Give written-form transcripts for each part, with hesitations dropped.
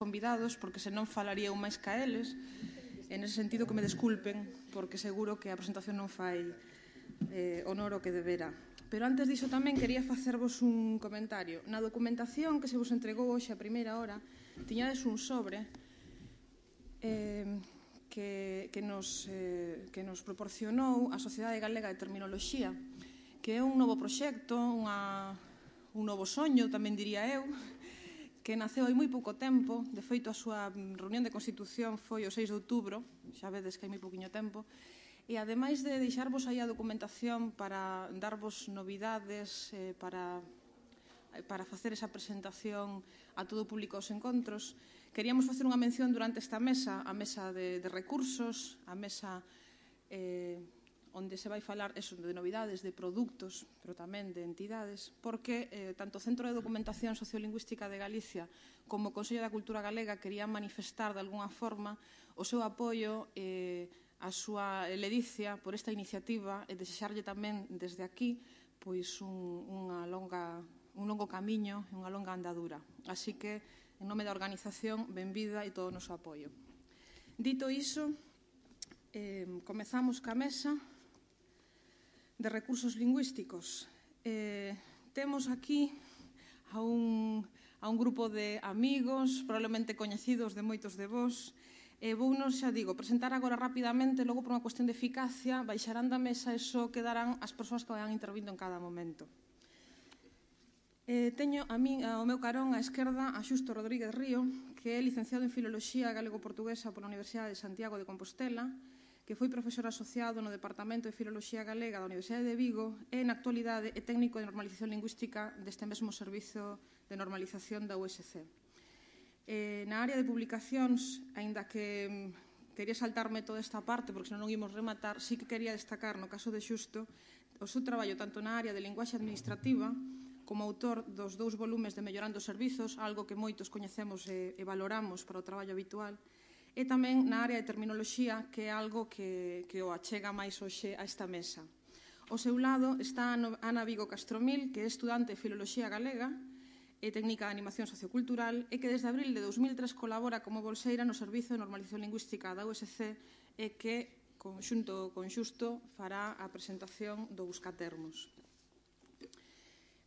convidados, porque senón falaría eu máis ca eles. En ese sentido, que me desculpen, porque seguro que a presentación non fai honor o que debera. Pero antes diso tamén quería facervos un comentario. Na documentación que se vos entregou hoxe a primeira hora, tiñades un sobre que nos proporcionou a Sociedade Galega de Terminoloxía, que é un novo proxecto, un novo soño, tamén diría eu, que naceu hai moi pouco tempo. De feito, a súa reunión de constitución foi o 6 de outubro, xa vedes que hai moi pouquiño tempo, e ademais de deixarvos aí a documentación para darvos novidades, para facer esa presentación a todo o público aos encontros, queríamos facer unha mención durante esta mesa, a mesa de recursos, a mesa onde se vai falar de novidades, de produtos, pero tamén de entidades, porque tanto o Centro de Documentación Sociolingüística de Galicia como o Consello da Cultura Galega querían manifestar de alguna forma o seu apoio a súa ledicia por esta iniciativa e desexarlle tamén desde aquí pois un longo camiño e unha longa andadura. Así que, en nome da organización, benvida e todo o noso apoio. Dito iso, comezamos ca mesa de recursos lingüísticos. Temos aquí a un grupo de amigos, probablemente coñecidos de moitos de vós. Vounos, xa digo, presentar agora rapidamente, logo por unha cuestión de eficacia, baixarán da mesa e só quedarán as persoas que vayan intervindo en cada momento. Teño ao meu carón, á esquerda, a Xusto Rodríguez Río, que é licenciado en Filoloxía Galego-Portuguesa pola Universidade de Santiago de Compostela, que foi profesor asociado no Departamento de Filoloxía Galega da Universidade de Vigo e, na actualidade, é técnico de normalización lingüística deste mesmo servizo de normalización da USC. Na área de publicacións, aínda que quería saltarme toda esta parte, porque senón non ímos rematar, sí que quería destacar, no caso de Xusto, o seu traballo tanto na área de linguaxe administrativa como autor dos 2 volumes de Mellorando os Servizos, algo que moitos coñecemos e valoramos para o traballo habitual, e tamén na área de terminoloxía, que é algo que o achega máis hoxe a esta mesa. Ao seu lado está Ana Vigo Castromil, que é estudante de Filoloxía Galega e técnica de animación sociocultural e que desde abril de 2003 colabora como bolseira no Servizo de Normalización Lingüística da USC e que, xunto con Xusto, fará a presentación do Buscatermos.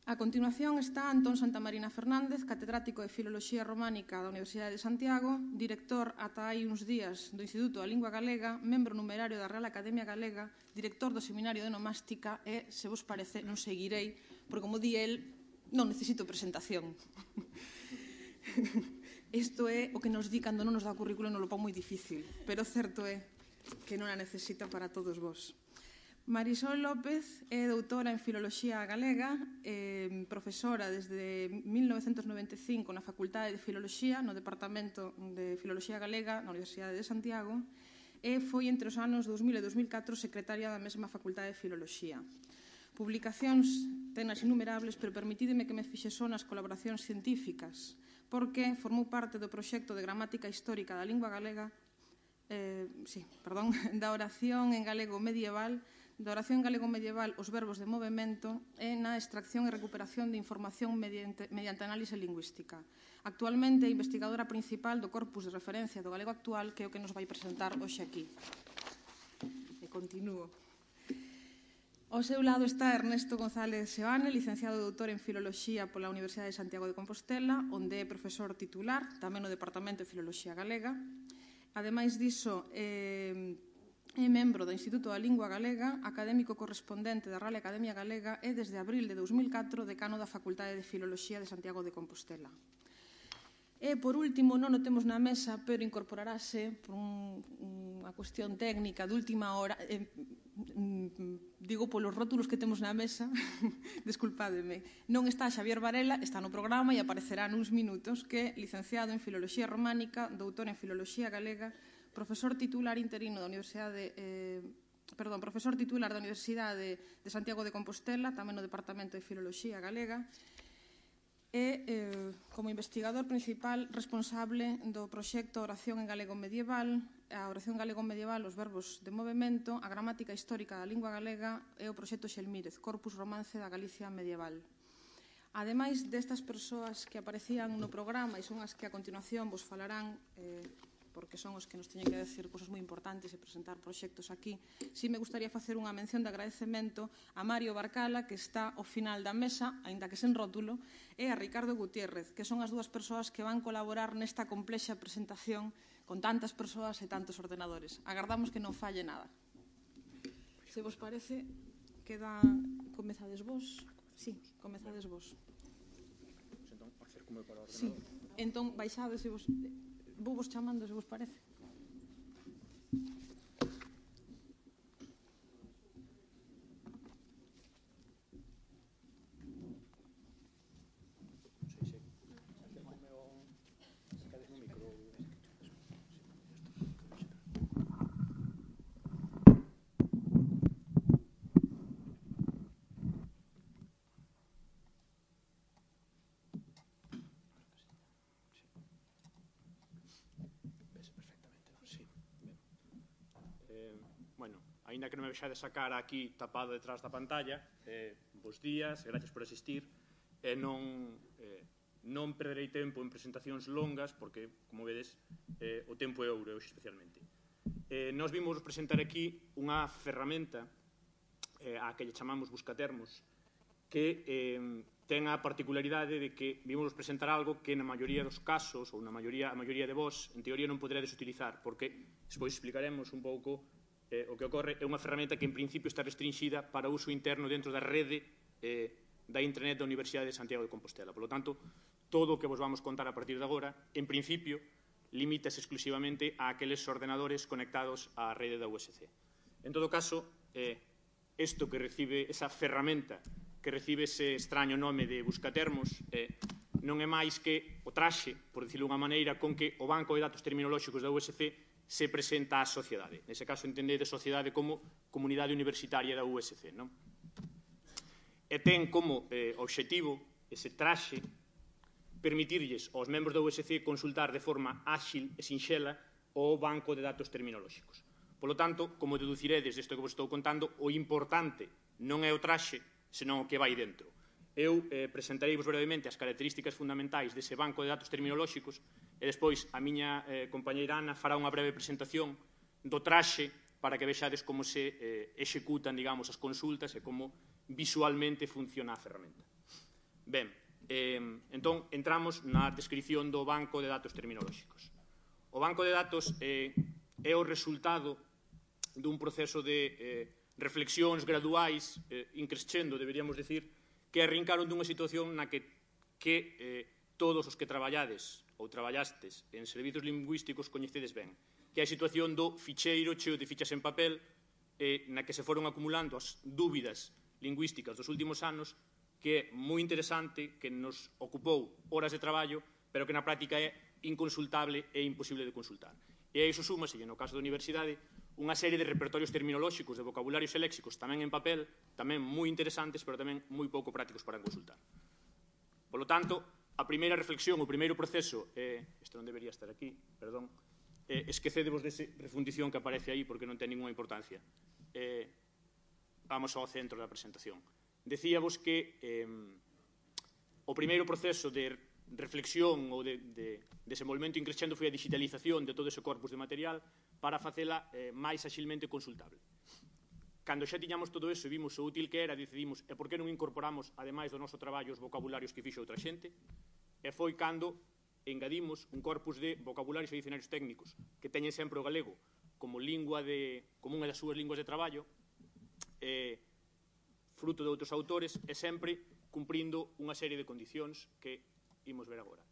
A continuación está Antón Santamarina Fernández, catedrático de Filoloxía Románica da Universidade de Santiago, director ata hai uns días do Instituto da Lingua Galega, membro numerario da Real Academia Galega, director do Seminario de Onomástica e, se vos parece, non seguirei, porque, como di el, non necesito presentación. Isto é o que nos di cando non nos dá o currículo e nos lo pon moi difícil, pero certo é que non a necesita para todos vos. Marisol López é doutora en Filoloxía Galega, profesora desde 1995 na Facultade de Filoloxía, no Departamento de Filoloxía Galega na Universidade de Santiago, e foi entre os anos 2000 e 2004 secretaria da mesma Facultade de Filoloxía. Publicacións tenas innumerables, pero permitídeme que me fixe só nas colaboracións científicas, porque formou parte do proxecto de gramática histórica da lingua galega, da oración en galego medieval, os verbos de movemento e na extracción e recuperación de información mediante análise lingüística. Actualmente é investigadora principal do corpus de referencia do galego actual, que é o que nos vai presentar hoxe aquí. E continúo. Ao seu lado está Ernesto González Seoane, licenciado e doutor en Filoloxía pola Universidade de Santiago de Compostela, onde é profesor titular, tamén no Departamento de Filoloxía Galega. Ademais diso, é membro do Instituto da Lingua Galega, académico correspondente da Real Academia Galega e, desde abril de 2004, decano da Facultade de Filoloxía de Santiago de Compostela. E, por último, non o temos na mesa, pero incorporarase por unha cuestión técnica de última hora, digo polos rótulos que temos na mesa, desculpádeme, non está Xavier Varela, está no programa e aparecerá nuns minutos, que é licenciado en Filoloxía Románica, doutor en Filoloxía Galega, profesor titular interino da Universidade de Santiago de Compostela, tamén no Departamento de Filoloxía Galega, e como investigador principal responsable do proxecto Oración en Galego Medieval, a oración galego medieval, os verbos de movemento, a gramática histórica da lingua galega e o proxecto Xelmírez, Corpus Romance da Galicia Medieval. Ademais destas persoas que aparecían no programa e son as que a continuación vos falarán, porque son os que nos teñen que decir cousas moi importantes e presentar proxectos aquí, si me gustaría facer unha mención de agradecemento a Mario Barcala, que está ao final da mesa, aínda que sen rótulo, e a Ricardo Gutiérrez, que son as dúas persoas que van colaborar nesta complexa presentación con tantas persoas e tantos ordenadores. Agardamos que non falle nada. Se vos parece, comezades vos? Sí, comezades vos. Entón, acércome para o ordenador. Sí, entón baixades e vos... Vou vos chamando, se vos parece. Bueno, aínda que non me vexades a cara aquí tapado detrás da pantalla, bos días, gracias por asistir, non perderei tempo en presentacións longas, porque, como vedes, o tempo é ouro, hoxe especialmente. Nos vimos presentar aquí unha ferramenta a que lle chamamos Buscatermos, que ten a particularidade de que vimos presentar algo que na maioría dos casos, ou a maioría de vos, en teoría non poderedes utilizar, porque despois explicaremos un pouco o que ocorre. É unha ferramenta que en principio está restringida para uso interno dentro da rede da Intranet da Universidade de Santiago de Compostela. Por lo tanto, todo o que vos vamos contar a partir de agora, en principio, limítase exclusivamente a aqueles ordenadores conectados á rede da USC. En todo caso, isto que recibe, esa ferramenta que recibe ese extraño nome de Buscatermos, non é máis que o traxe, por dicirlo unha maneira, con que o banco de datos terminolóxicos da USC se presenta á sociedade. Nese caso, entendede sociedade como comunidade universitaria da USC, non? E ten como obxectivo ese traxe permitirlles aos membros da USC consultar de forma áxil e sinxela o banco de datos terminolóxicos. Por lo tanto, como deduciredes desto que vos estou contando, o importante non é o traxe, senón o que vai dentro. Eu presentareivos brevemente as características fundamentais dese banco de datos terminolóxicos e despois a miña compañeira Ana fará unha breve presentación do traxe para que vexades como se executan, digamos, as consultas e como visualmente funciona a ferramenta. Ben, entón entramos na descripción do banco de datos terminolóxicos. O banco de datos é o resultado dun proceso de reflexións graduais, increscendo, deberíamos decir, que arrincaron dunha situación na que todos os que traballades ou traballastes en servizos lingüísticos coñecedes ben, que é a situación do ficheiro cheo de fichas en papel na que se foron acumulando as dúbidas lingüísticas dos últimos anos, que é moi interesante, que nos ocupou horas de traballo, pero que na práctica é inconsultable e imposible de consultar. E a iso súmase, no caso da universidade, unha serie de repertorios terminolóxicos, de vocabularios e léxicos, tamén en papel, tamén moi interesantes, pero tamén moi pouco prácticos para consultar. Por lo tanto, a primeira reflexión, o primeiro proceso, isto non debería estar aquí, perdón, esquecedevos dese refundición que aparece aí porque non ten ninguna importancia. Vamos ao centro da presentación. Decíavos que o primeiro proceso de reflexión ou de desenvolvemento increscendo foi a digitalización de todo ese corpus de material para facela máis axilmente consultable. Cando xa tiñamos todo eso e vimos o útil que era, decidimos, e por que non incorporamos, ademais do noso traballo, os vocabularios que fixo outra xente, e foi cando engadimos un corpus de vocabularios e dicionarios técnicos que teñen sempre o galego como unha das súas linguas de traballo, fruto de outros autores, e sempre cumprindo unha serie de condicións que imos ver agora.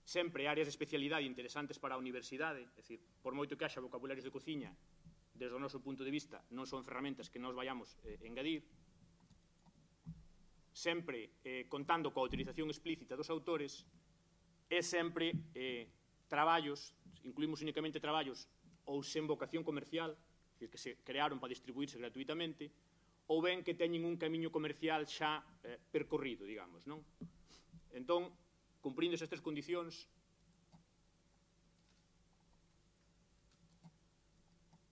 Sempre áreas de especialidade interesantes para a universidade, é dicir, por moito que haxa vocabularios de cociña, desde o noso punto de vista, non son ferramentas que nos vayamos engadir, sempre contando coa utilización explícita dos autores, e sempre traballos, incluímos únicamente traballos ou sen vocación comercial, é dicir, que se crearon para distribuirse gratuitamente, ou ben que teñen un camiño comercial xa percorrido, digamos, non? Entón, cumprindo esas tres condicións,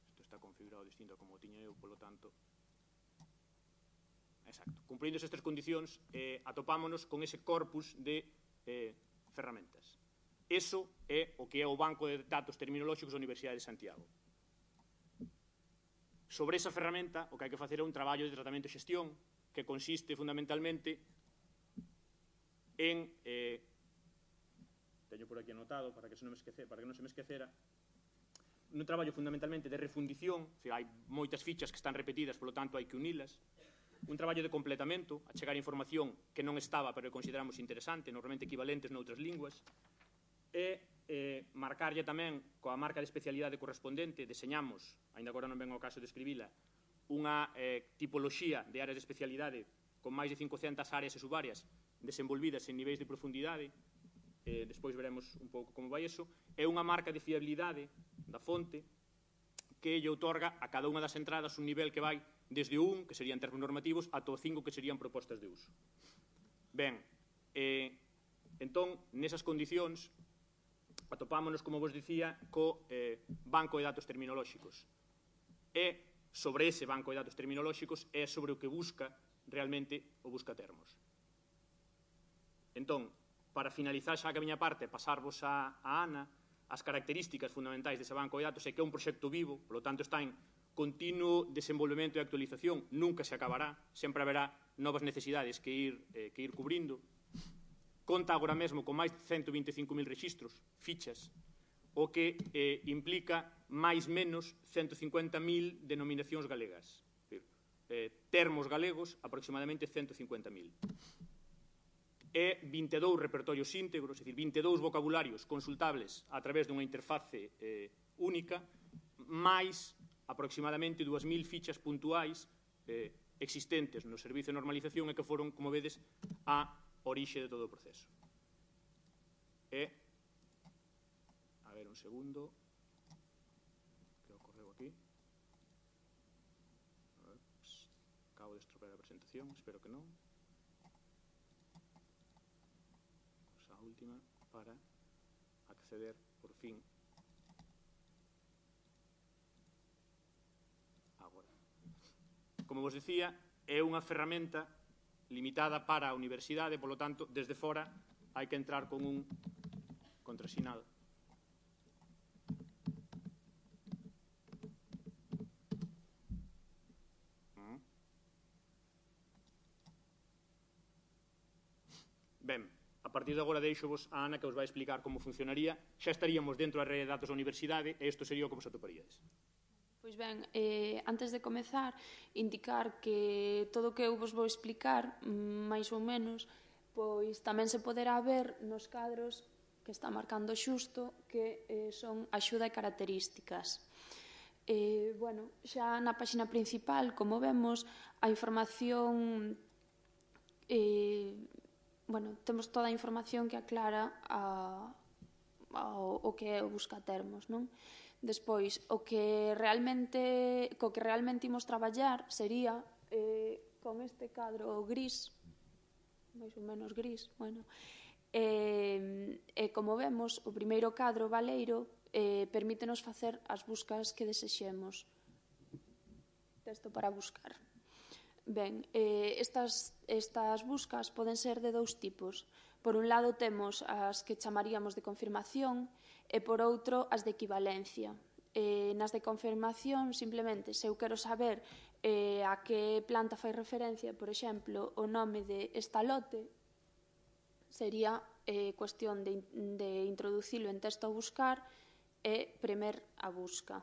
isto está configurado distinto a como o tiña eu, polo tanto, exacto. Cumprindo esas tres condicións, atopámonos con ese corpus de ferramentas. Eso é o que é o Banco de Datos Terminolóxicos da Universidade de Santiago. Sobre esa ferramenta, o que hai que facer é un traballo de tratamento e xestión que consiste fundamentalmente en... teño por aquí anotado para que non se me esquecera, un traballo fundamentalmente de refundición, hai moitas fichas que están repetidas, polo tanto hai que unilas, un traballo de completamento, a chegar información que non estaba pero que consideramos interesante, normalmente equivalentes noutras linguas, e marcarlle tamén coa marca de especialidade correspondente, deseñamos, ainda agora non ven ao caso de escribila, unha tipoloxía de áreas de especialidade con máis de 500 áreas e subáreas desenvolvidas en niveis de profundidade, despois veremos un pouco como vai eso, é unha marca de fiabilidade da fonte que lle outorga a cada unha das entradas un nivel que vai desde o 1, que serían termos normativos, ata o 5, que serían propostas de uso. Ben, entón, nesas condicións, atopámonos, como vos dicía, co banco de datos terminolóxicos. E sobre ese banco de datos terminolóxicos é sobre o que busca realmente o buscatermos. Entón, para finalizar xa a miña parte, pasarvos a Ana, as características fundamentais dese banco de datos é que é un proxecto vivo, polo tanto está en continuo desenvolvemento e actualización, nunca se acabará, sempre haberá novas necesidades que ir cubrindo. Conta agora mesmo con máis de 125.000 rexistros, fichas, o que implica máis menos 150.000 denominacións galegas. Termos galegos, aproximadamente 150.000. E 22 repertorios íntegros, é dicir, 22 vocabularios consultables a través dunha interface única, máis aproximadamente 2.000 fichas puntuais existentes no servicio de normalización e que foron, como vedes, a orixe de todo o proceso. A ver, un segundo, que ocorreu aquí? Acabo de estropear a presentación, espero que non. A última para acceder, por fin, agora. Como vos dicía, é unha ferramenta limitada para a universidade, polo tanto, desde fora hai que entrar con un contrasinal. Ben, a partir de agora deixo-vos a Ana que os vai explicar como funcionaría. Xa estaríamos dentro da rede de datos da universidade e isto sería o que vos atoparíades. Pois ben, antes de comezar, indicar que todo o que eu vos vou explicar, máis ou menos, pois tamén se poderá ver nos cadros que está marcando xusto, que son axuda e características. Bueno, xa na páxina principal, como vemos, a información... Bueno, temos toda a información que aclara o que é o buscatermos, non? Despois, co que realmente imos traballar sería con este cadro gris, máis ou menos gris, bueno, e como vemos, o primeiro cadro baleiro permítenos facer as buscas que desexemos. Texto para buscar. Ben, estas buscas poden ser de dous tipos. Por un lado temos as que chamaríamos de confirmación e por outro as de equivalencia. Nas de confirmación, simplemente, se eu quero saber a que planta fai referencia, por exemplo, o nome de estalote, sería cuestión de introducilo en texto a buscar e premer a busca.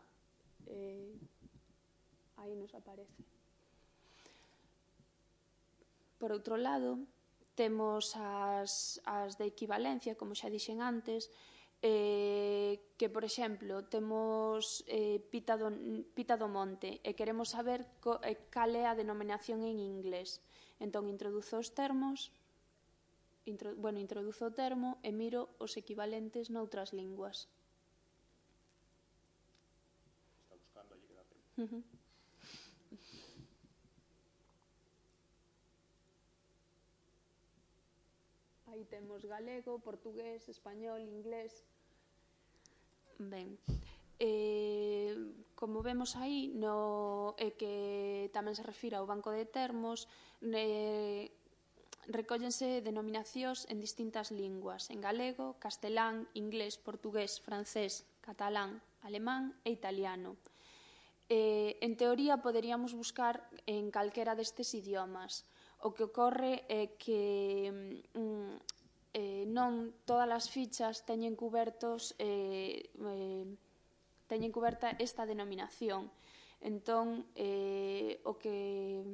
Aí nos aparece. Por outro lado, temos as de equivalencia, como xa dixen antes, que, por exemplo, temos Pita do Monte e queremos saber cal é a denominación en inglés. Entón, introduzo os termos, introduzo o termo e miro os equivalentes noutras linguas. Está buscando allí que dá tempo. Aí temos galego, portugués, español, inglés. Ben, como vemos aí, que tamén se refira ao banco de termos, recóllense denominacións en distintas linguas, en galego, castelán, inglés, portugués, francés, catalán, alemán e italiano. En teoría, poderíamos buscar en calquera destes idiomas. O que ocorre é que non todas as fichas teñen cuberta esta denominación. Entón, o que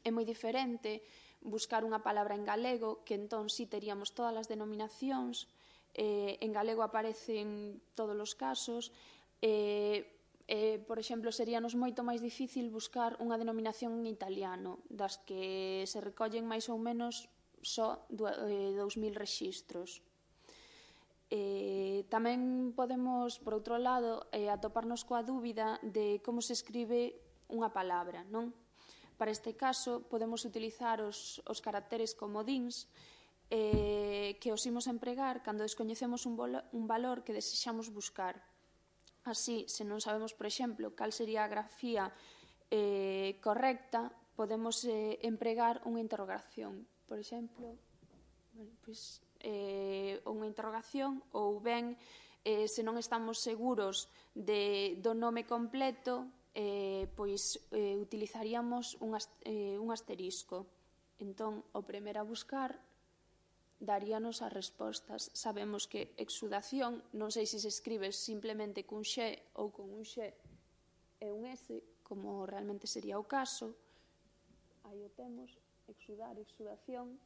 é moi diferente buscar unha palabra en galego, que entón sí teríamos todas as denominacións, en galego aparecen todos os casos, por exemplo, seríanos moito máis difícil buscar unha denominación en italiano, das que se recollen máis ou menos só 2.000 rexistros. Tamén podemos, por outro lado, atoparnos coa dúbida de como se escribe unha palabra, non? Para este caso, podemos utilizar os caracteres comodíns que os imos empregar cando descoñecemos un valor que desexamos buscar. Así, se non sabemos, por exemplo, cal sería a grafía correcta, podemos empregar unha interrogación. Por exemplo, unha interrogación, ou ben, se non estamos seguros do nome completo, pois utilizaríamos un asterisco. Entón, o primeiro a buscar daríanos as respostas. Sabemos que exudación, non sei se se escribe simplemente cun xe ou con un xe e un S, como realmente sería o caso. Aí o temos, exudar, exudación.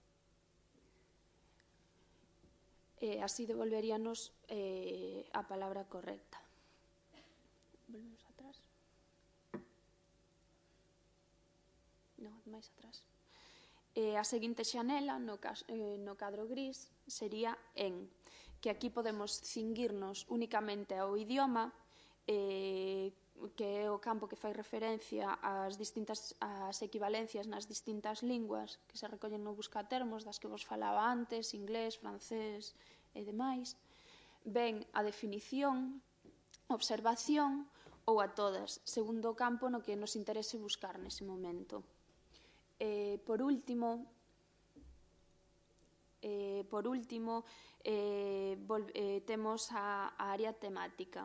E así devolveríanos a palabra correcta. Volvemos atrás. Non, máis atrás. A seguinte xanela, no cadro gris, sería en, que aquí podemos cinguirnos únicamente ao idioma, que é o campo que fai referencia ás equivalencias nas distintas linguas que se recollen no buscatermos, das que vos falaba antes, inglés, francés e demais. Ben a definición, observación ou a todas, segundo o campo no que nos interese buscar nese momento. Por último, temos a área temática.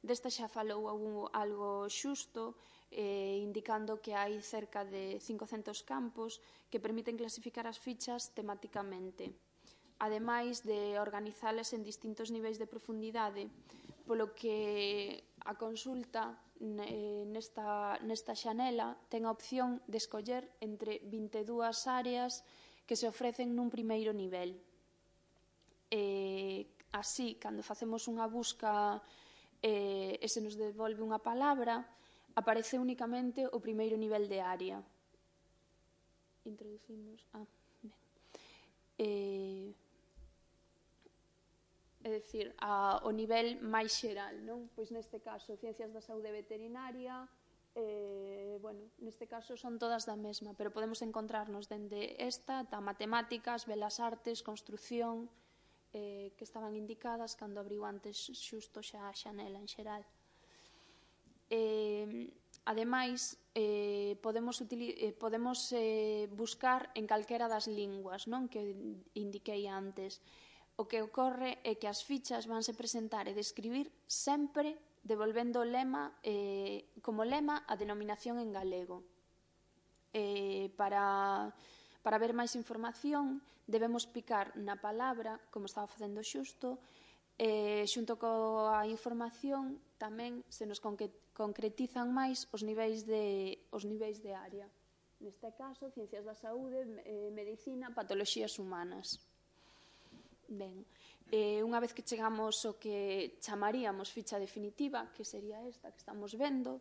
Desta xa falou algo xusto, indicando que hai cerca de 500 campos que permiten clasificar as fichas temáticamente, ademais de organizalas en distintos niveis de profundidade, polo que a consulta nesta xanela ten a opción de escoller entre 22 áreas que se ofrecen nun primeiro nivel. Así, cando facemos unha busca e se nos devolve unha palabra, aparece únicamente o primeiro nivel de área. Introducimos... É dicir, o nivel máis xeral, non? Pois neste caso, ciencias da saúde veterinaria, neste caso son todas da mesma, pero podemos encontrarnos dende esta, ata matemáticas, belas artes, construción, que estaban indicadas cando abriu antes xusto xa a xanela en xeral. Ademais, podemos buscar en calquera das linguas, non? Que indiquei antes. O que ocorre é que as fichas vanse presentar e describir sempre devolvendo como lema a denominación en galego. Para ver máis información, debemos picar na palabra, como estaba facendo xusto, xunto coa información tamén se nos concretizan máis os niveis de área. Neste caso, ciencias da saúde, medicina, patoloxías humanas. Ben, unha vez que chegamos ao que chamaríamos ficha definitiva, que sería esta que estamos vendo,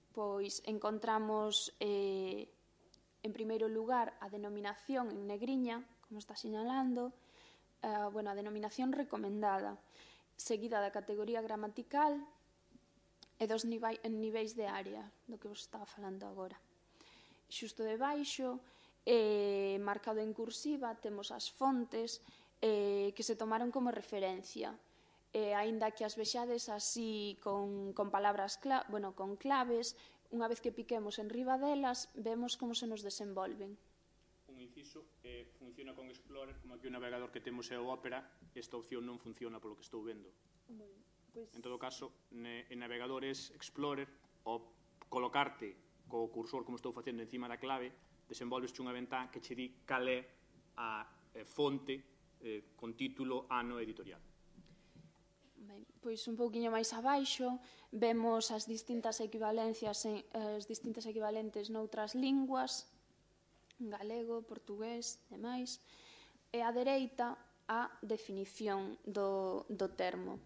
pois encontramos en primeiro lugar a denominación en negriña, como está sinalando, a denominación recomendada, seguida da categoría gramatical e dos niveis de área, do que vos estaba falando agora. Xusto debaixo, marcado en cursiva, temos as fontes que se tomaron como referencia. Aínda que as vexades así con palabras con claves, unha vez que piquemos en riba delas, vemos como se nos desenvolven. Un inciso, funciona con Explorer, como aquí o navegador que temos é o Opera, esta opción non funciona polo que estou vendo. En todo caso, en navegadores Explorer, ao colocarte co cursor, como estou facendo, encima da clave, desenvolvesche unha ventá que che di cal é a fonte con título, ano editorial. Ben, pois un pouquiño máis abaixo vemos as distintas equivalencias, as distintas equivalentes noutras linguas, galego, portugués, demais, e á dereita a definición do termo.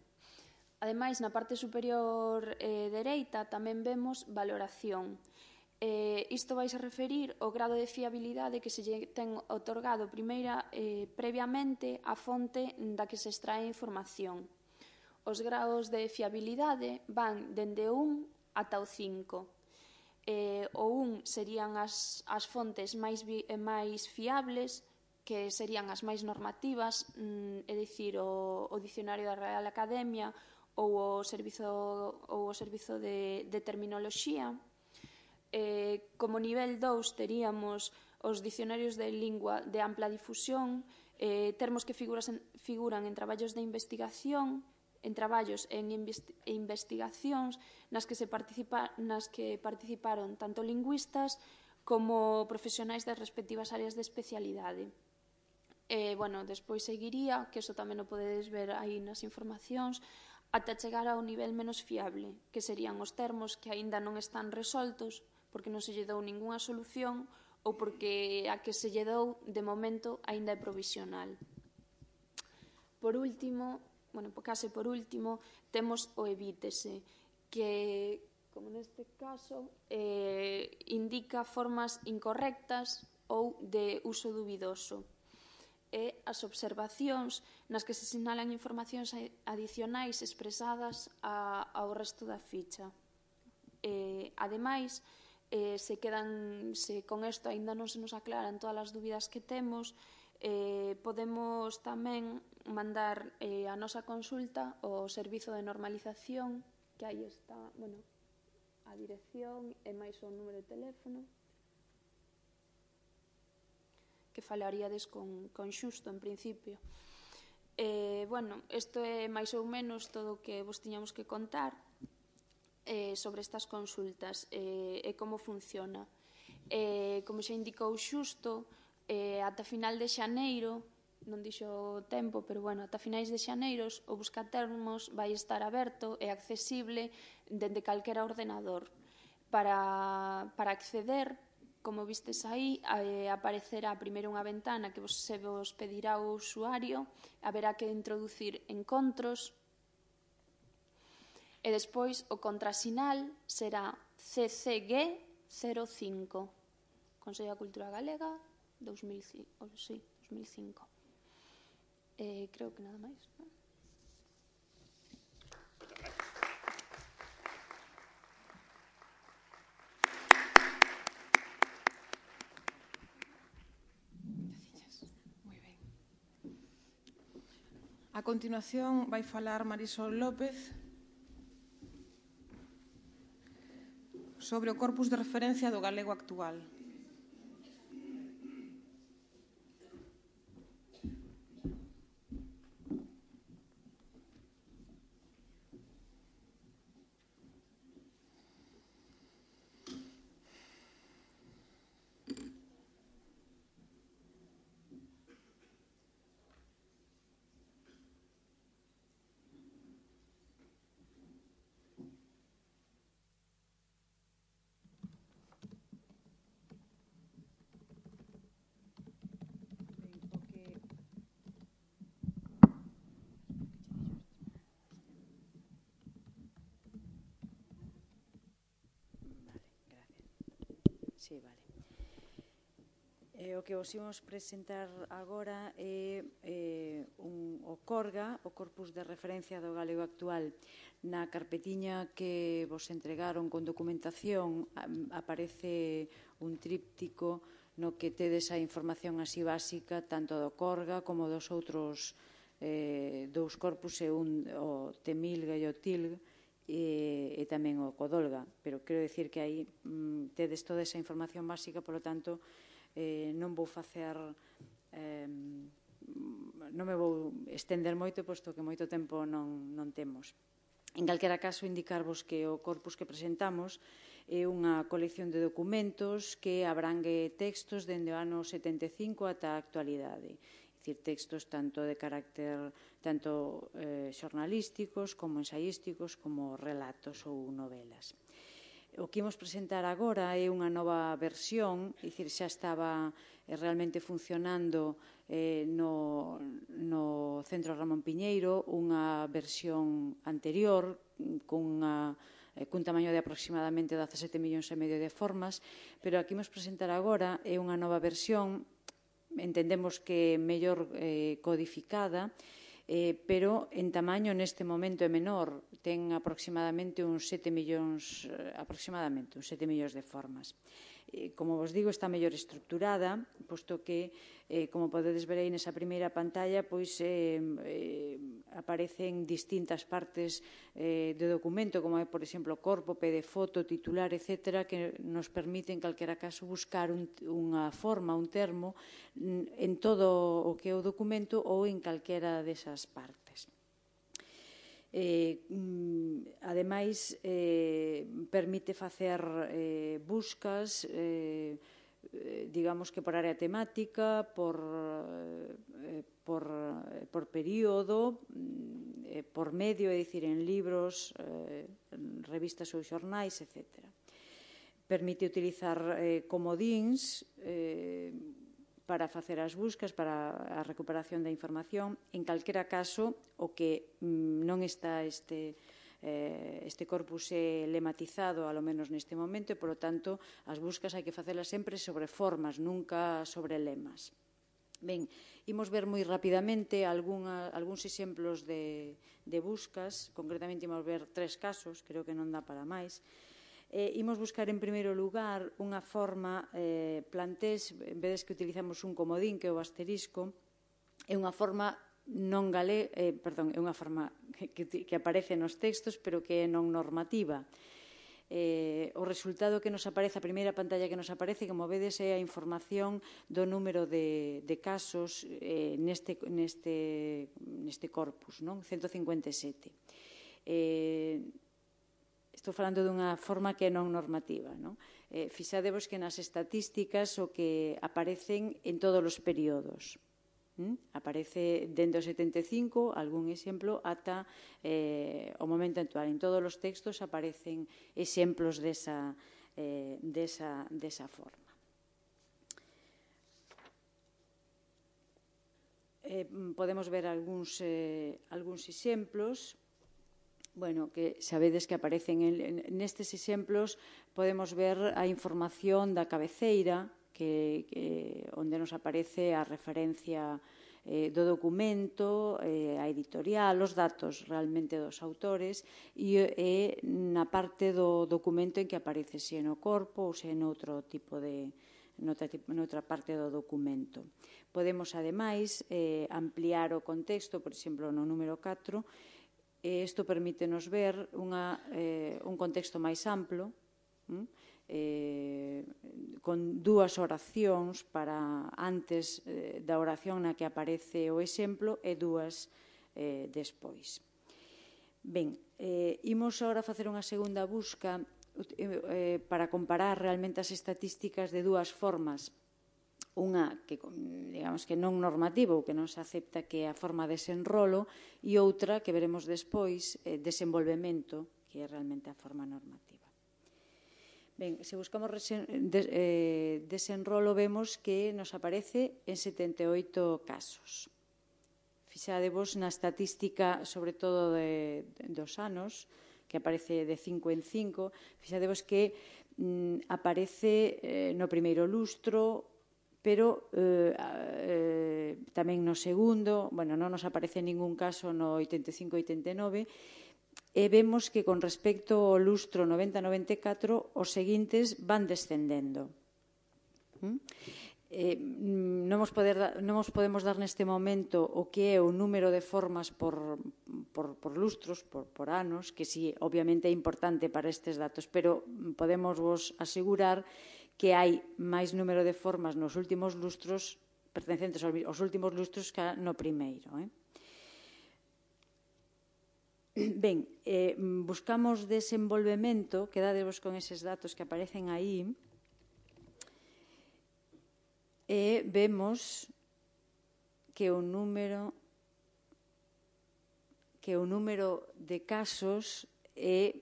Ademais, na parte superior dereita tamén vemos valoración. Isto vai se referir ao grado de fiabilidade que se lle ten otorgado previamente a fonte da que se extrae a información. Os graos de fiabilidade van dende o 1 ata o 5. O 1 serían as fontes máis fiables, que serían as máis normativas, é dicir, o Dicionario da Real Academia ou o Servizo de Terminoloxía. Como nivel 2 teríamos os dicionarios de lingua de ampla difusión, termos que figuran en traballos de investigación, en traballos e investigacións nas que participaron tanto lingüistas como profesionais das respectivas áreas de especialidade. Despois seguiría, que iso tamén o podedes ver aí nas informacións, ata chegar ao nivel menos fiable, que serían os termos que aínda non están resoltos porque non se lle dou ningunha solución ou porque a que se lle dou, de momento, aínda é provisional. Por último, temos o evítese, que, como neste caso, indica formas incorrectas ou de uso dubidoso. E as observacións nas que se sinalan informacións adicionais expresadas ao resto da ficha. Ademais, se con isto aínda non se nos aclaran todas as dúbidas que temos, podemos tamén mandar a nosa consulta ao Servizo de Normalización, que aí está a dirección e máis o número de teléfono, que falaríades con Xusto, en principio. Isto é máis ou menos todo o que vos tiñamos que contar sobre estas consultas e como funciona. Como xa indicou Xusto, ata final de xaneiro, non dixo o tempo, pero ata finais de xaneiros o buscatermos vai estar aberto e accesible dende calquera ordenador. Para acceder, como vistes aí, aparecerá primeiro unha ventana que se vos pedirá o usuario, haberá que introducir encontros, e despois o contrasinal será CCG05, Consello da Cultura Galega, 2005. Creo que nada máis, non? A continuación vai falar Marisol López sobre o corpus de referencia do galego actual. Sí, vale. O que vos imos presentar agora é o CORGA, o Corpus de Referencia do Galego Actual. Na carpetiña que vos entregaron con documentación aparece un tríptico no que tedes a información así básica tanto do Corga como dos outros dous corpus, o Temilga e o Tilg, e tamén o Codolga, pero quero dicir que aí tedes toda esa información básica, polo tanto non vou facer non me vou estender moito, posto que moito tempo non temos. En calquera caso, indicarvos que o corpus que presentamos é unha colección de documentos que abrangue textos dende o ano 75 ata a actualidade. Dicir, textos tanto de carácter xornalísticos como ensaísticos como relatos ou novelas. O que imos presentar agora é unha nova versión, dicir, xa estaba realmente funcionando no Centro Ramón Piñeiro unha versión anterior cun tamaño de aproximadamente 17,5 millóns de formas, pero a que imos presentar agora é unha nova versión, entendemos que mellor codificada, pero en tamaño neste momento é menor, ten aproximadamente uns 7 millóns de formas. Como vos digo, está mellor estructurada, posto que, como podedes ver aí nesa primeira pantalla, pois aparecen distintas partes do documento, como é, por exemplo, corpo, pé de foto, titular, etc., que nos permite, en calquera caso, buscar unha forma, un termo, en todo o que é o documento ou en calquera desas partes. Ademais, permite facer buscas, digamos que por área temática, por período, por medio, é dicir, en libros, revistas ou xornais, etc. Permite utilizar comodíns para facer as buscas, para a recuperación da información. En calquera caso, o que non está este corpus é lematizado, ao menos neste momento, e, polo tanto, as buscas hai que facelas sempre sobre formas, nunca sobre lemas. Ben, imos ver moi rapidamente algúns exemplos de buscas, concretamente imos ver 3 casos, creo que non dá para máis. Imos buscar en primeiro lugar unha forma plantés, vedes que utilizamos un comodín que é o asterisco, é unha forma non galega, é unha forma que aparece nos textos pero que é non normativa. O resultado que nos aparece, a primeira pantalla que nos aparece, como vedes, é a información do número de casos neste corpus, 157. Estou falando dunha forma que é non normativa. Fixadevos que nas estatísticas o que aparecen en todos os períodos. Aparece dende o 75, algún exemplo, ata o momento actual. En todos os textos aparecen exemplos desa forma. Podemos ver algúns exemplos. Bueno, que sabedes que aparecen nestes exemplos, podemos ver a información da cabeceira, onde nos aparece a referencia do documento, a editorial, os datos realmente dos autores, e na parte do documento en que aparece se no corpo ou se noutro tipo de noutra parte do documento. Podemos, ademais, ampliar o contexto, por exemplo, no número 4, isto permítenos ver un contexto máis amplo, con 2 oracións para antes da oración na que aparece o exemplo e 2 despois. Ben, imos agora facer unha segunda busca para comparar realmente as estatísticas de 2 formas. Unha que, digamos, que non normativa ou que non se acepta, que é a forma de desenrolo, e outra que veremos despois, desenvolvemento, que é realmente a forma normativa. Ben, se buscamos desenrolo, vemos que nos aparece en 78 casos. Fixadevos na estatística, sobre todo dos anos, que aparece de 5 en 5, fixadevos que aparece no primeiro lustro, pero tamén no segundo, bueno, non nos aparece ningún caso no 85-89, e vemos que con respecto ao lustro 90-94 os seguintes van descendendo. non nos podemos dar neste momento o que é o número de formas por lustros, por anos, que si obviamente é importante para estes datos, pero podemos vos asegurar que hai máis número de formas nos últimos lustros, pertencentes aos últimos lustros, que no primeiro. Ben, buscamos desenvolvemento, quedadevos con eses datos que aparecen aí, e vemos que o número de casos é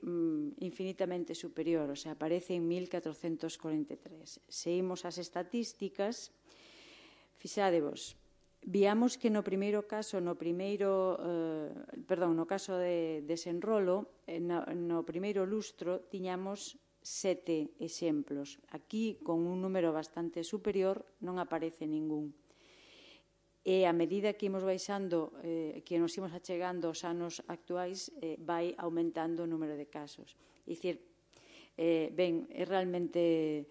infinitamente superior, o sea, aparece en 1443. Se imos ás estatísticas, fixádevos, viamos que no primeiro caso, no caso de desenrolo, no primeiro lustro tiñamos 7 exemplos. Aquí, con un número bastante superior, non aparece ningún. E a medida que imos baixando, que nos imos achegando aos anos actuais, vai aumentando o número de casos. É dicir, ben, é realmente...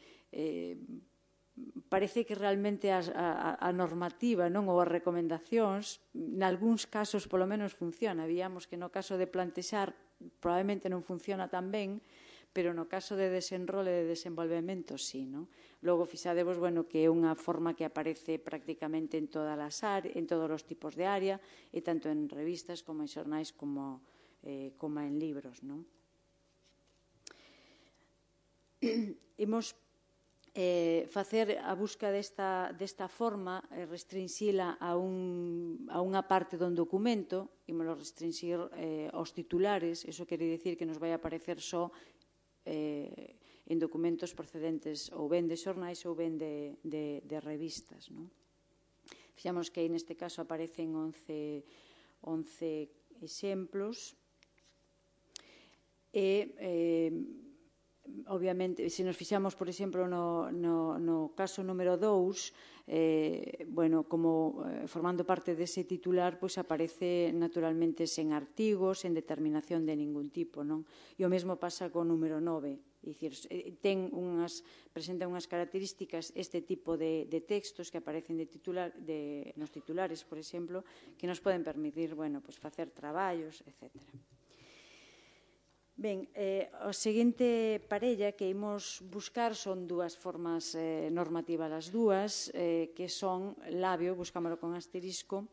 Parece que realmente a normativa, non, ou as recomendacións, nalgúns casos, polo menos, funciona. Víamos que no caso de plantexar probablemente non funciona tan ben, pero no caso de desenrolo e de desenvolvemento, sí, non? Logo, fixadevos, bueno, que é unha forma que aparece prácticamente en todos os tipos de área, e tanto en revistas como en xornais como en libros, non? Imos facer a busca desta forma, restrinxila a unha parte do documento, imos restringir aos titulares, iso quere dicir que nos vai aparecer só en documentos procedentes ou ben de xornais ou ben de revistas. Fixamos que aí neste caso aparecen 11 exemplos e obviamente, se nos fixamos, por exemplo, no caso número 2, bueno, como formando parte dese titular, pois aparece naturalmente sen artigos, sen determinación de ningún tipo, non? E o mesmo pasa co número 9, é dicir, presenta unhas características este tipo de textos que aparecen nos titulares, por exemplo, que nos poden permitir, bueno, pois facer traballos, etcétera. Ben, a seguinte parella que imos buscar son dúas formas normativas as dúas, que son labio, buscámoslo con asterisco,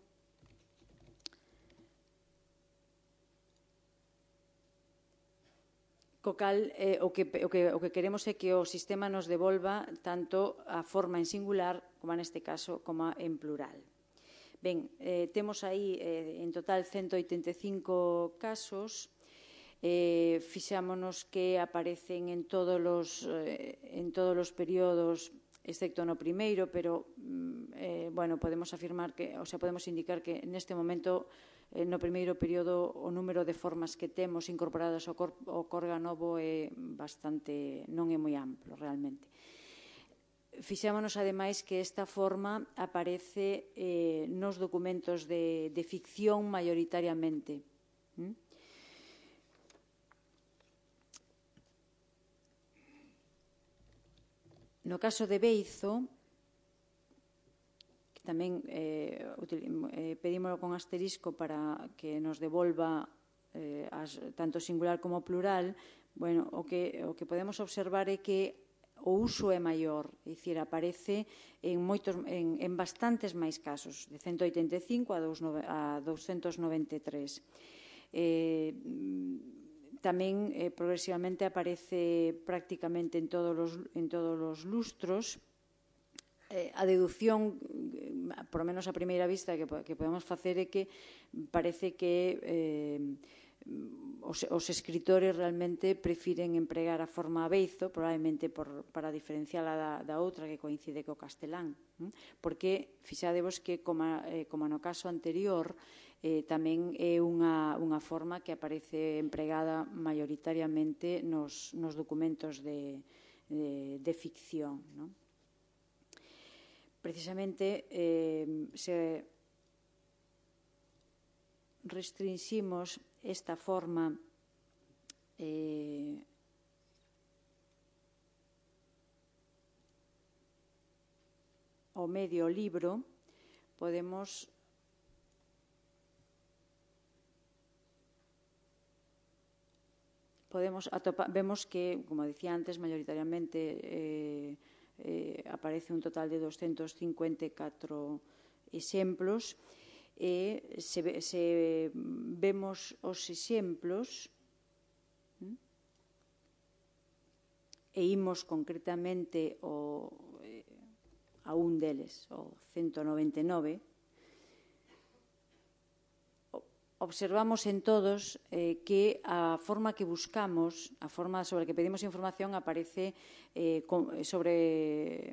co cal o que queremos é que o sistema nos devolva tanto a forma en singular, como neste caso, como en plural. Ben, temos aí en total 185 casos. Fixámonos que aparecen en todos os períodos, excepto no primeiro, pero bueno, podemos afirmar que, o sea, podemos indicar que neste momento no primeiro período o número de formas que temos incorporadas ao Corga Novo é bastante, non é moi amplo realmente. Fixámonos ademais que esta forma aparece nos documentos de ficción maioritariamente. No caso de Beizo, que tamén pedímoslo con asterisco para que nos devolva tanto singular como plural, bueno, o que podemos observar é que o uso é maior, é dicir, aparece en bastantes máis casos, de 185 a 293. Tamén progresivamente aparece prácticamente en todos os lustros. A deducción, por lo menos a primeira vista, que podemos facer é que parece que os escritores realmente prefiren empregar a forma Beizo, probablemente para diferenciala da outra que coincide co castelán, porque fixadevos que, como no caso anterior, tamén é unha forma que aparece empregada maioritariamente nos documentos de ficción. Precisamente, se restringimos esta forma ao medio libro, podemos vemos que, como dicía antes, maioritariamente aparece un total de 254 exemplos, e se vemos os exemplos e imos concretamente a un deles, o 199, observamos en todos que a forma que buscamos, a forma sobre que pedimos información aparece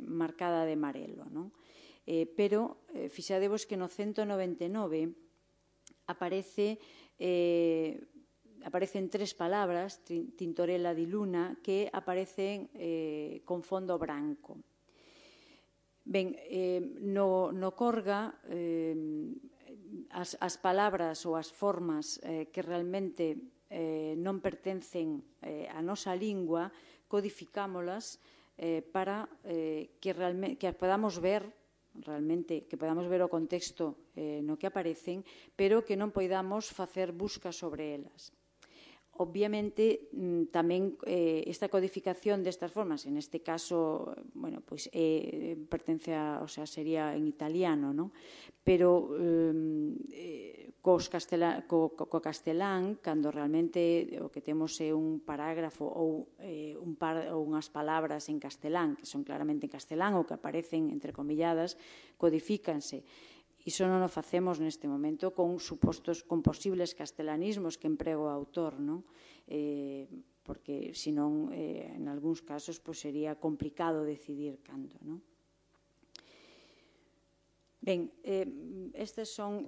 marcada de amarelo, non? Pero fixadevos que no 199 aparecen tres palabras, Tintorella di Luna, que aparecen con fondo branco. Ben, no Corga, as palabras ou as formas que realmente non pertencen á nosa lingua, codificámolas para que podamos ver realmente, que podamos ver o contexto no que aparecen, pero que non poidamos facer buscas sobre elas. Obviamente, tamén esta codificación destas formas, en este caso, pertence o sea, sería en italiano, non? Pero co castelán, cando realmente o que temos é un parágrafo ou unhas palabras en castelán, que son claramente en castelán ou que aparecen entrecomilladas, codifícanse. Iso non o facemos neste momento con posibles castelanismos que emprego o autor, non? Porque, senón, en algúns casos, sería complicado decidir cando, non? Ben, estes son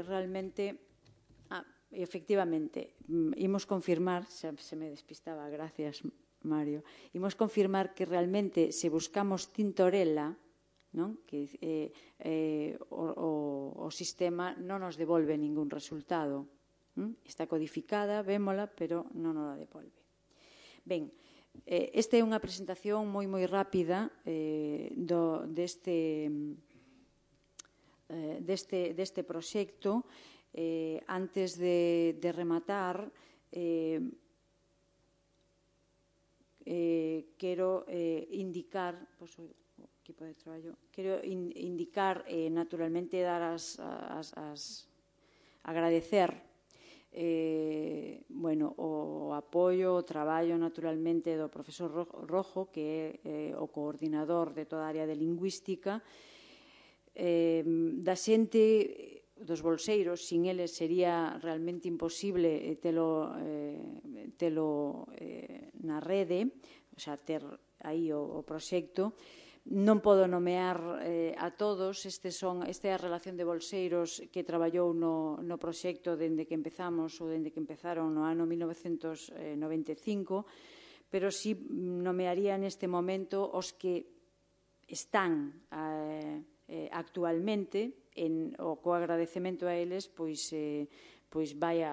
realmente... Efectivamente, imos confirmar, se me despistaba, gracias, Mario, imos confirmar que realmente, se buscamos Tintorella, que o sistema non nos devolve ningún resultado. Está codificada, vémola, pero non nos la devolve. Ben, esta é unha presentación moi rápida deste proxecto. Antes de rematar, quero indicar... Quero indicar, naturalmente, agradecer o apoio, o traballo, naturalmente, do profesor Rojo, que é o coordinador de toda a área de lingüística, da xente dos bolseiros. Sin eles sería realmente imposible telo na rede, o sea, ter aí o proxecto. Non podo nomear a todos, esta é a relación de bolseiros que traballou no proxecto dende que empezamos ou dende que empezaron no ano 1995, pero si nomearía neste momento os que están actualmente, co agradecemento a eles, pois vai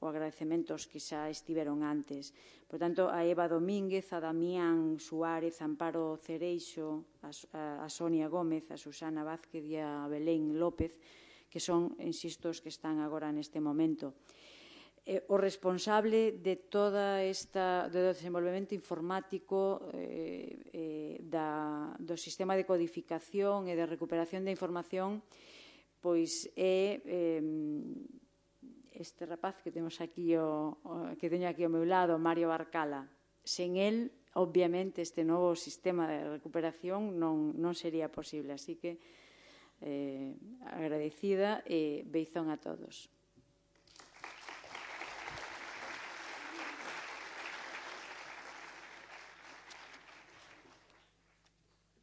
o agradecemento aos que xa estiveron antes. Por tanto, a Eva Domínguez, a Damián Suárez, a Amparo Cereixo, a Sonia Gómez, a Susana Vázquez e a Belén López, que son, insisto, os que están agora neste momento. O responsable de todo desenvolvemento informático do sistema de codificación e de recuperación de información, pois é este rapaz que teño aquí ao meu lado, Mario Barcala. Sen el, obviamente, este novo sistema de recuperación non sería posible. Así que, agradecida e beizón a todos.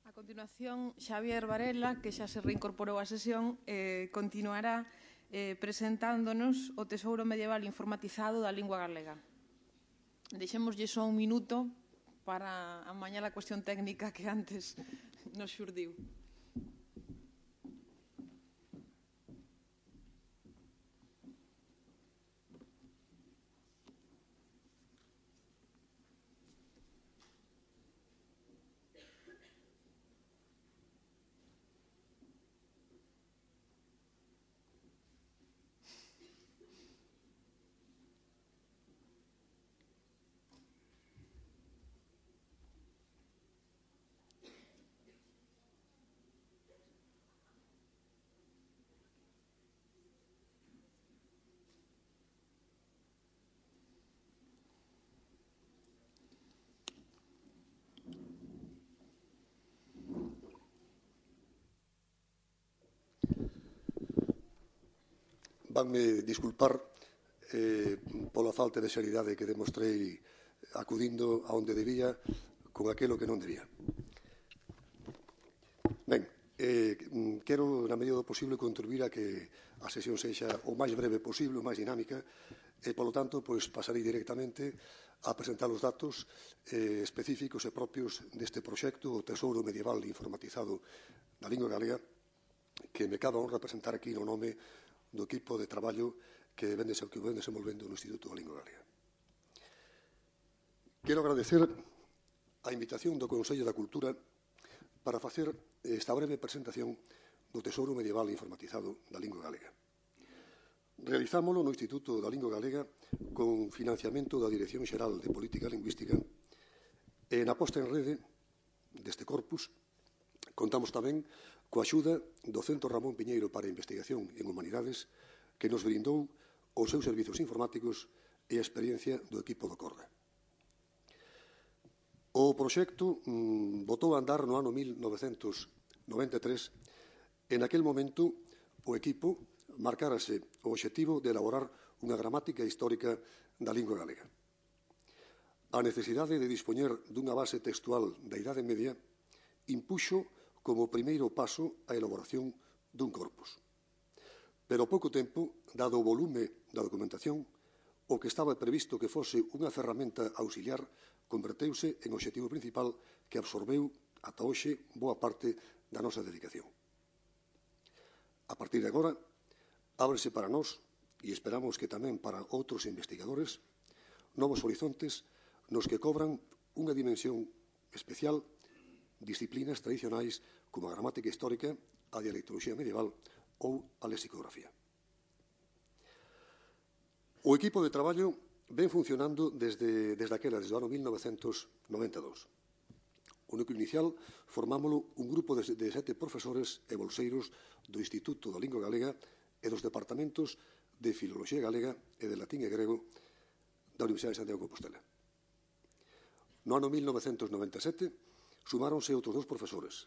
A continuación, Xavier Varela, que xa se reincorporou á sesión, continuará presentándonos o Tesouro Medieval Informatizado da Lingua Galega. Deixémoslle só un minuto para amañar a cuestión técnica que antes nos xurdiu. vanme disculpar pola falta de seriedade que demostrei acudindo a onde debía con aquilo que non debía. Ben, quero, na medida do posible, contribuir a que a sesión sexa o máis breve posible, o máis dinámica, e, polo tanto, pasarei directamente a presentar os datos específicos e propios deste proxecto, o Tesouro Medieval Informatizado da Lingua Galega, que me cabe a honra presentar aquí no nome do equipo de traballo que vén desenvolvendo no Instituto da Lingua Galega. Quero agradecer a invitación do Consello da Cultura para facer esta breve presentación do Tesouro Medieval Informatizado da Lingua Galega. Realizámolo no Instituto da Lingua Galega con financiamento da Dirección Xeral de Política Lingüística e na posta en rede deste corpus contamos tamén coa axuda do Centro Ramón Piñeiro para a Investigación en Humanidades que nos brindou os seus servizos informáticos e a experiencia do equipo do Corda. O proxecto botou a andar no ano 1993 e naquel momento o equipo marcárase o obxectivo de elaborar unha gramática histórica da lingua galega. A necesidade de dispoñer dunha base textual da Idade Media impuxo como primeiro paso a elaboración dun corpus. Pero ao pouco tempo, dado o volume da documentación, o que estaba previsto que fose unha ferramenta auxiliar converteuse en obxectivo principal que absorbeu ata hoxe boa parte da nosa dedicación. A partir de agora, ábrese para nós, e esperamos que tamén para outros investigadores, novos horizontes nos que cobran unha dimensión especial disciplinas tradicionais como a gramática histórica, a dialectoloxía medieval ou a lexicografía. O equipo de traballo ven funcionando desde o ano 1992. O núcleo inicial formámolo un grupo de 7 profesores e bolseiros do Instituto da Lingua Galega e dos departamentos de Filoloxía Galega e de Latín e Grego da Universidade de Santiago de Compostela. No ano 1997 sumáronse outros 2 profesores.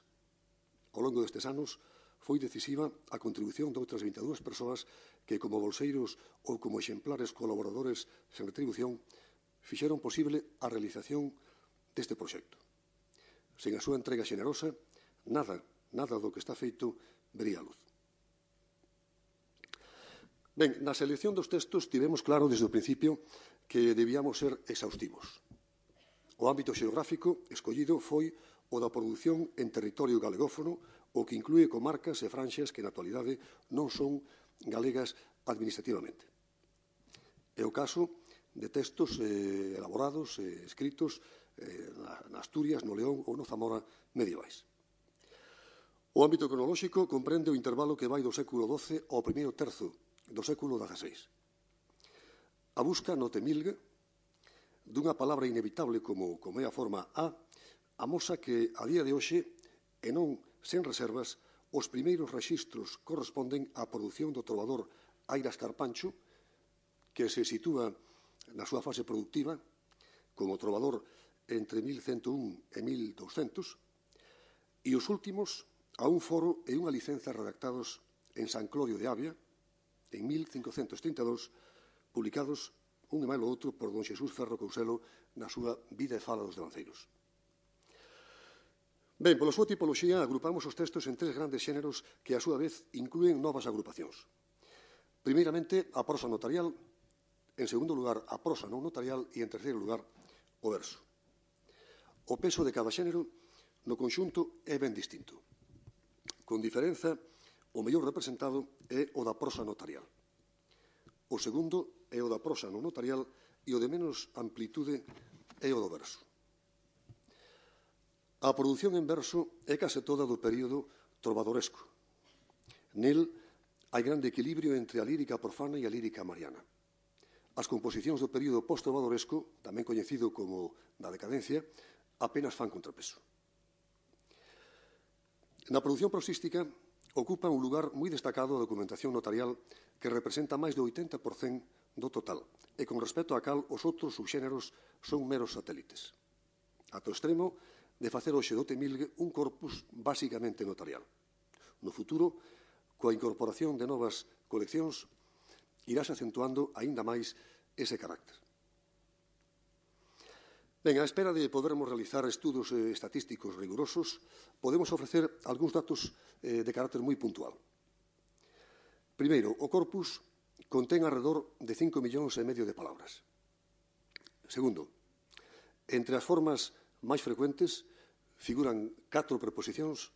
Ao longo destes anos foi decisiva a contribución de outras 22 persoas que, como bolseiros ou como exemplares colaboradores sen retribución, fixeron posible a realización deste proxecto. Sen a súa entrega xenerosa, nada do que está feito vería a luz. Ben, na selección dos textos tivemos claro desde o principio que debíamos ser exhaustivos. O ámbito xeográfico escollido foi o da produción en territorio galegófono, o que inclúe comarcas e franxas que na actualidade non son galegas administrativamente. É o caso de textos elaborados e escritos na Asturias, no León ou no Zamora medievais. O ámbito cronolóxico comprende o intervalo que vai do século XII ao primeiro terzo do século XVI. A busca no Temilgue dunha palabra inevitable como é a forma a, amosa que a día de hoxe, e non sen reservas, os primeiros rexistros corresponden á produción do trovador Airas Carpancho, que se sitúa na súa fase productiva como trovador entre 1101 e 1200, e os últimos a un foro e unha licenza redactados en San Clodio de Avia, en 1532, publicados un e máis o outro por don Xesús Ferro Couselo na súa Vida e Fala dos Devanceiros. Ben, pola súa tipoloxía agrupamos os textos en 3 grandes xéneros que, a súa vez, inclúen novas agrupacións. Primeiramente, a prosa notarial, en segundo lugar, a prosa non notarial e, en terceiro lugar, o verso. O peso de cada xénero no conxunto é ben distinto. Con diferenza, o mellor representado é o da prosa notarial. O segundo é o da prosa non notarial e o de menos amplitude é o do verso. A produción en verso é case toda do período trovadoresco. Nel hai grande equilibrio entre a lírica profana e a lírica mariana. As composicións do período post-trovadoresco, tamén coñecido como da decadencia, apenas fan contrapeso. Na produción prosística ocupa un lugar moi destacado a documentación notarial que representa máis do 80% do total e con respecto a cal os outros subxéneros son meros satélites. Ata o extremo de facer hoxe do Temilgue un corpus basicamente notarial. No futuro, coa incorporación de novas coleccións, irase acentuando aínda máis ese carácter. Ben, á espera de podermos realizar estudos estatísticos rigurosos, podemos ofrecer algúns datos de carácter moi puntual. Primeiro, o corpus contén alrededor de 5,5 millóns de palabras. Segundo, entre as formas máis frecuentes figuran 4 preposicións,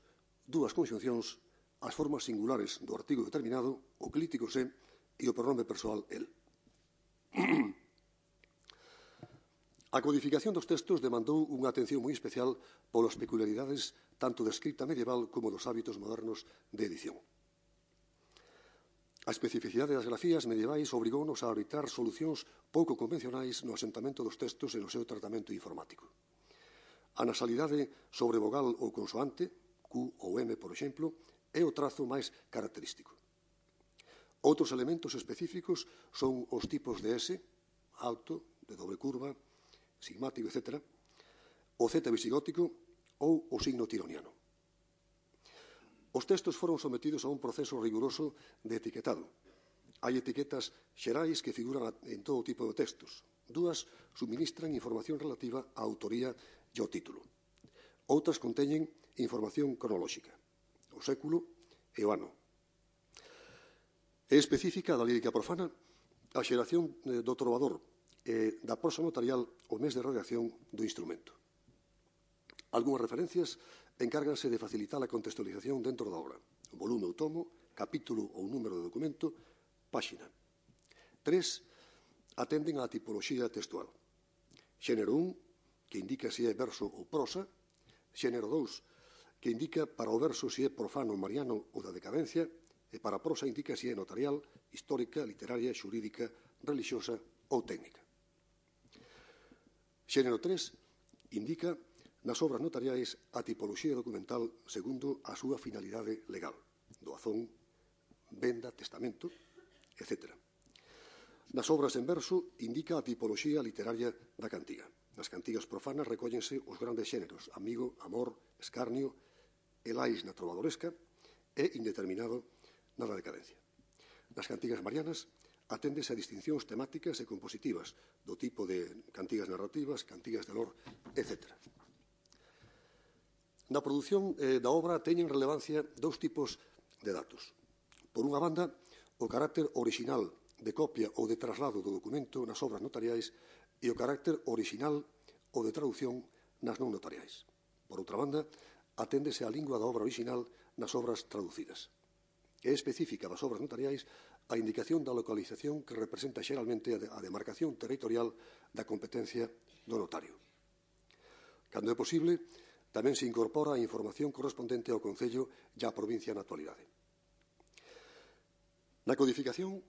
2 conxuncións, as formas singulares do artigo determinado, o clítico se e o pronome persoal el. A codificación dos textos demandou unha atención moi especial polas peculiaridades tanto da escrita medieval como dos hábitos modernos de edición. A especificidade das grafías medievais obrigounos a arbitrar solucións pouco convencionais no asentamento dos textos e no seu tratamento informático. A nasalidade sobre vogal ou consoante, Q ou M, por exemplo, é o trazo máis característico. Outros elementos específicos son os tipos de S, alto, de doble curva, sigmático, etc., o Z visigótico ou o signo tironiano. Os textos foron sometidos a un proceso riguroso de etiquetado. Hai etiquetas xerais que figuran en todo tipo de textos. 2 suministran información relativa á autoría e ao título. Outras conteñen información cronolóxica, o século e o ano. É específica da lírica profana a xeración do trovador e da prosa notarial o mes de redacción do instrumento. Algúnas referencias encárganse de facilitar a contextualización dentro da obra. Volume ou tomo, capítulo ou número de documento, páxina. 3 atenden á tipoloxía textual. Xénero 1, que indica se é verso ou prosa. Xénero 2, que indica para o verso se é profano, mariano ou da decadencia, e para a prosa indica se é notarial, histórica, literaria, xurídica, relixiosa ou técnica. Xénero 3 indica nas obras notariais a tipoloxía documental segundo a súa finalidade legal, doazón, venda, testamento, etc. Nas obras en verso indica a tipoloxía literaria da cantiga. Nas cantigas profanas recóllense os grandes xéneros, amigo, amor, escarnio, elais na trovadoresca e indeterminado na da decadencia. Nas cantigas marianas aténdese a distincións temáticas e compositivas do tipo de cantigas narrativas, cantigas de lor, etc. Na produción da obra teñen relevancia 2 tipos de datos. Por unha banda, o carácter orixinal de copia ou de traslado do documento nas obras notariais e o carácter orixinal ou de traducción nas non notariais. Por outra banda, aténdese a lingua da obra orixinal nas obras traducidas. É específica das obras notariais a indicación da localización que representa xeralmente a demarcación territorial da competencia do notario. Cando é posible, tamén se incorpora a información correspondente ao concello e á provincia na actualidade. Na codificación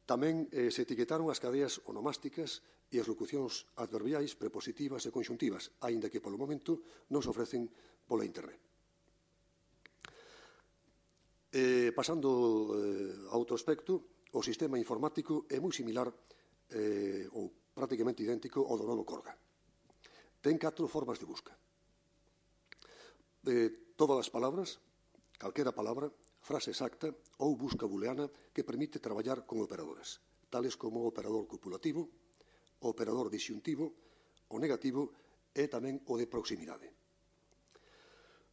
tamén se etiquetaron as cadeas onomásticas e as locucións adverbiais, prepositivas e conxuntivas, aínda que polo momento non se ofrecen pola internet. Pasando a outro aspecto, o sistema informático é moi similar ou prácticamente idéntico ao do novo Corga. Ten 4 formas de busca. Todas as palabras, calquera palabra, frase exacta ou busca booleana que permite traballar con operadores, tales como o operador copulativo, o operador disyuntivo, o negativo e tamén o de proximidade.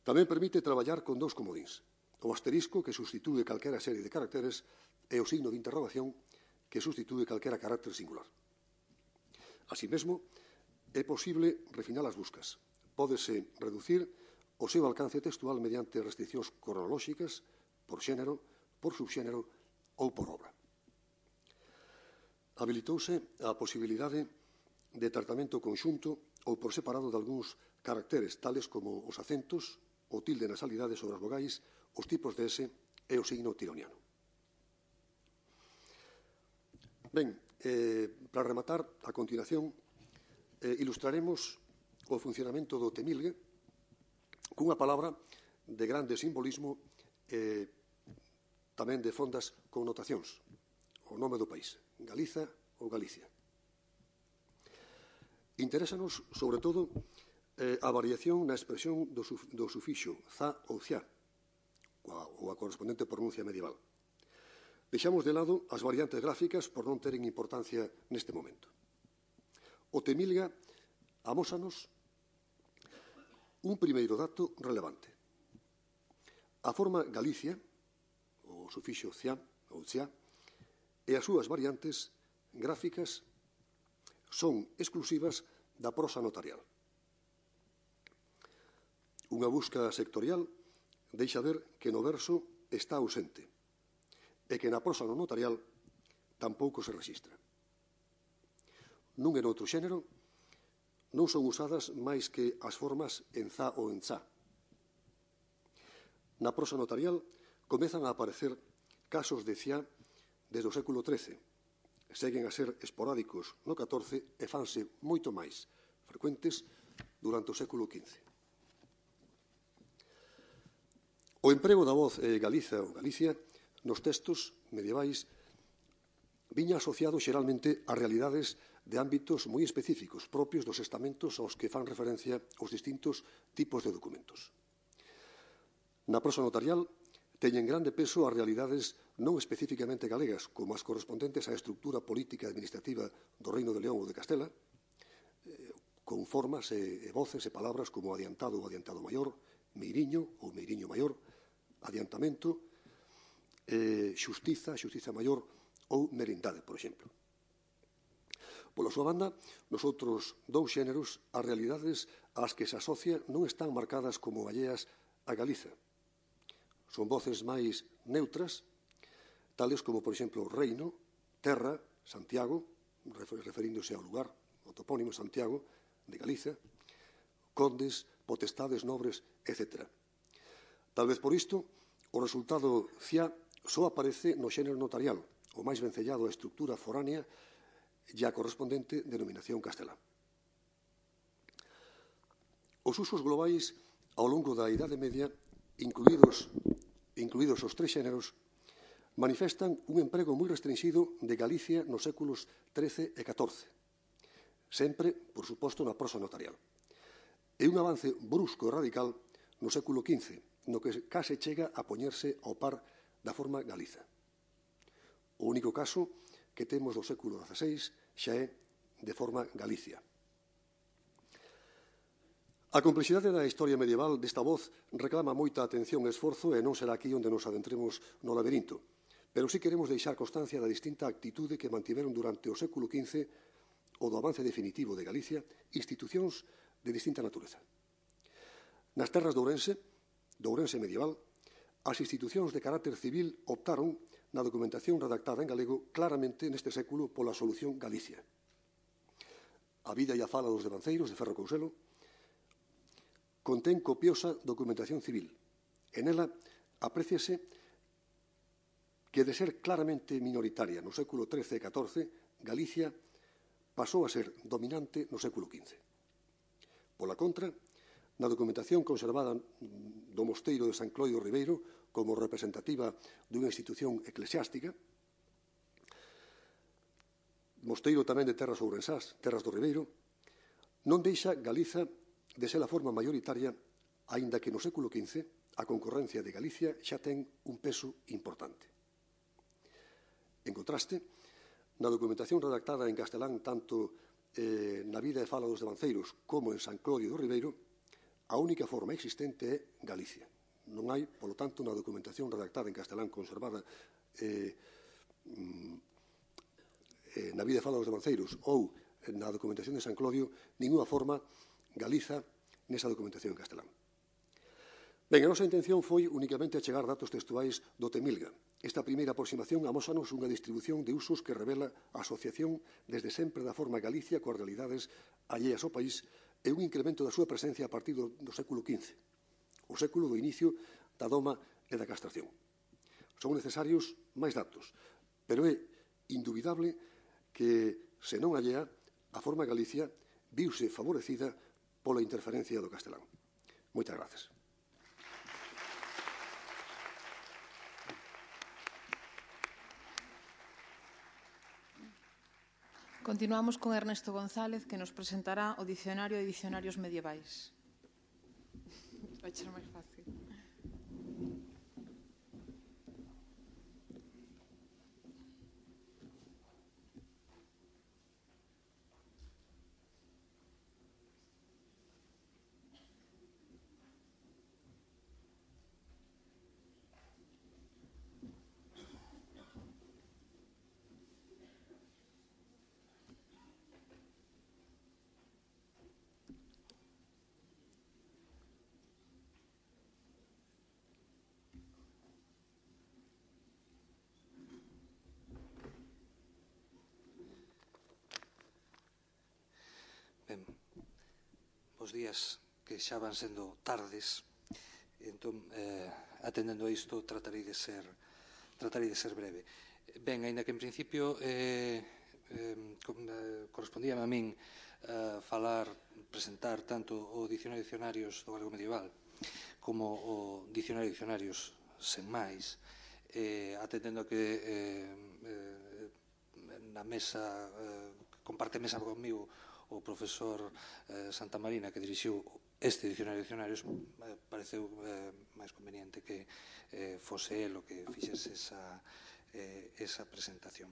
Tamén permite traballar con 2 comodíns, o asterisco, que substitúe calquera serie de caracteres, e o signo de interrogación, que substitúe calquera carácter singular. Así mesmo, é posible refinar as buscas. Pódese reducir o seu alcance textual mediante restriccións cronolóxicas, por xénero, por subxénero ou por obra. Habilitouse a posibilidade de tratamento conxunto ou por separado de algúns caracteres, tales como os acentos, o tilde nasalidade sobre as vogais, os tipos de S e o signo tironiano. Ben, para rematar, a continuación, ilustraremos o funcionamento do temilgue cunha palabra de grande simbolismo e tamén de fondas connotacións, o nome do país, Galiza ou Galicia. Interésanos, sobre todo, a variación na expresión do sufixo za ou cia, ou a correspondente pronuncia medieval. Deixamos de lado as variantes gráficas por non teren importancia neste momento. O Temilga amósanos un primeiro dato relevante. A forma Galicia, o sufixo cia, ou cia, e as súas variantes gráficas son exclusivas da prosa notarial. Unha busca sectorial deixa ver que no verso está ausente e que na prosa non notarial tampouco se rexistra. Nun e noutro xénero non son usadas máis que as formas en za ou en za. Na prosa notarial comezan a aparecer casos de cia desde o século XIII. Seguen a ser esporádicos no XIV e fanse moito máis frecuentes durante o século XV. O emprego da voz Galiza ou Galicia nos textos medievais viña asociado xeralmente a realidades de ámbitos moi específicos propios dos estamentos aos que fan referencia os distintos tipos de documentos. Na prosa notarial teñen grande peso as realidades non especificamente galegas, como as correspondentes á estructura política e administrativa do Reino de León ou de Castela, con formas e voces e palabras como adiantado ou adiantado maior, meiriño ou meiriño maior, adiantamento, xustiza, xustiza maior ou merindade, por exemplo. Pola súa banda, nos outros dous xéneros, as realidades ás que se asocia non están marcadas como alleas a Galiza. Son voces máis neutras, tales como, por exemplo, reino, terra, Santiago, referíndose ao lugar, o topónimo Santiago, de Galiza, condes, potestades, nobres, etc. Tal vez por isto, o resultado cia só aparece no xénero notarial, o máis vencellado á estructura foránea e á correspondente denominación castelá. Os usos globais ao longo da Idade Media, incluídos os tres xéneros, manifestan un emprego moi restringido de Galicia nos séculos XIII e XIV, sempre, por suposto, na prosa notarial. E un avance brusco e radical no século XV, no que case chega a poñerse ao par da forma Galiza. O único caso que temos do século XVI xa é de forma Galicia. A complexidade da historia medieval desta voz reclama moita atención e esforzo e non será aquí onde nos adentremos no laberinto, pero sí queremos deixar constancia da distinta actitude que mantiveron durante o século XV o do avance definitivo de Galicia institucións de distinta natureza. Nas terras de Ourense medieval, as institucións de carácter civil optaron na documentación redactada en galego claramente neste século pola solución Galicia. A vida e a fala dos devanceiros de Ferro Couselo contén copiosa documentación civil. En ela apréciase que de ser claramente minoritaria no século XIII e XIV, Galicia pasou a ser dominante no século XV. Pola contra, na documentación conservada do mosteiro de San Clodio Ribeiro como representativa dunha institución eclesiástica, mosteiro tamén de terras ourensás, terras do Ribeiro, non deixa Galiza de ser a forma maioritaria, aínda que no século XV a concorrencia de Galicia xa ten un peso importante. En contraste, na documentación redactada en castelán tanto na vida e fala dos devanceiros como en San Clodio do Ribeiro, a única forma existente é Galicia. Non hai, polo tanto, na documentación redactada en castelán conservada na vida e fala dos devanceiros ou na documentación de San Clodio, ninguna forma Galiza nesa documentación en castelán. Ben, a nosa intención foi únicamente achegar datos textuais do Temilga. Esta primeira aproximación amósanos unha distribución de usos que revela a asociación desde sempre da forma Galicia coas realidades alleas ao país e un incremento da súa presencia a partir do século XV, o século do inicio da doma e da castración. Son necesarios máis datos, pero é indubidable que, se non allea, a forma Galicia viuse favorecida pola interferencia do castelán. Moitas grazas. Continuamos con Ernesto González, que nos presentará o Dicionario de Dicionarios Medievais. Vai ser máis fácil. os días que xa van sendo tardes, entón, atendendo a isto, tratarei de ser breve. Ben, aínda que en principio correspondía a min presentar tanto o Dicionario de Dicionarios do galego medieval como o Dicionario de Dicionarios sen máis, atendendo a que na mesa, comparte mesa comigo o profesor Santamarina, que dirixiu este Dicionario de Dicionarios, pareceu máis conveniente que fose el o que fixese esa presentación.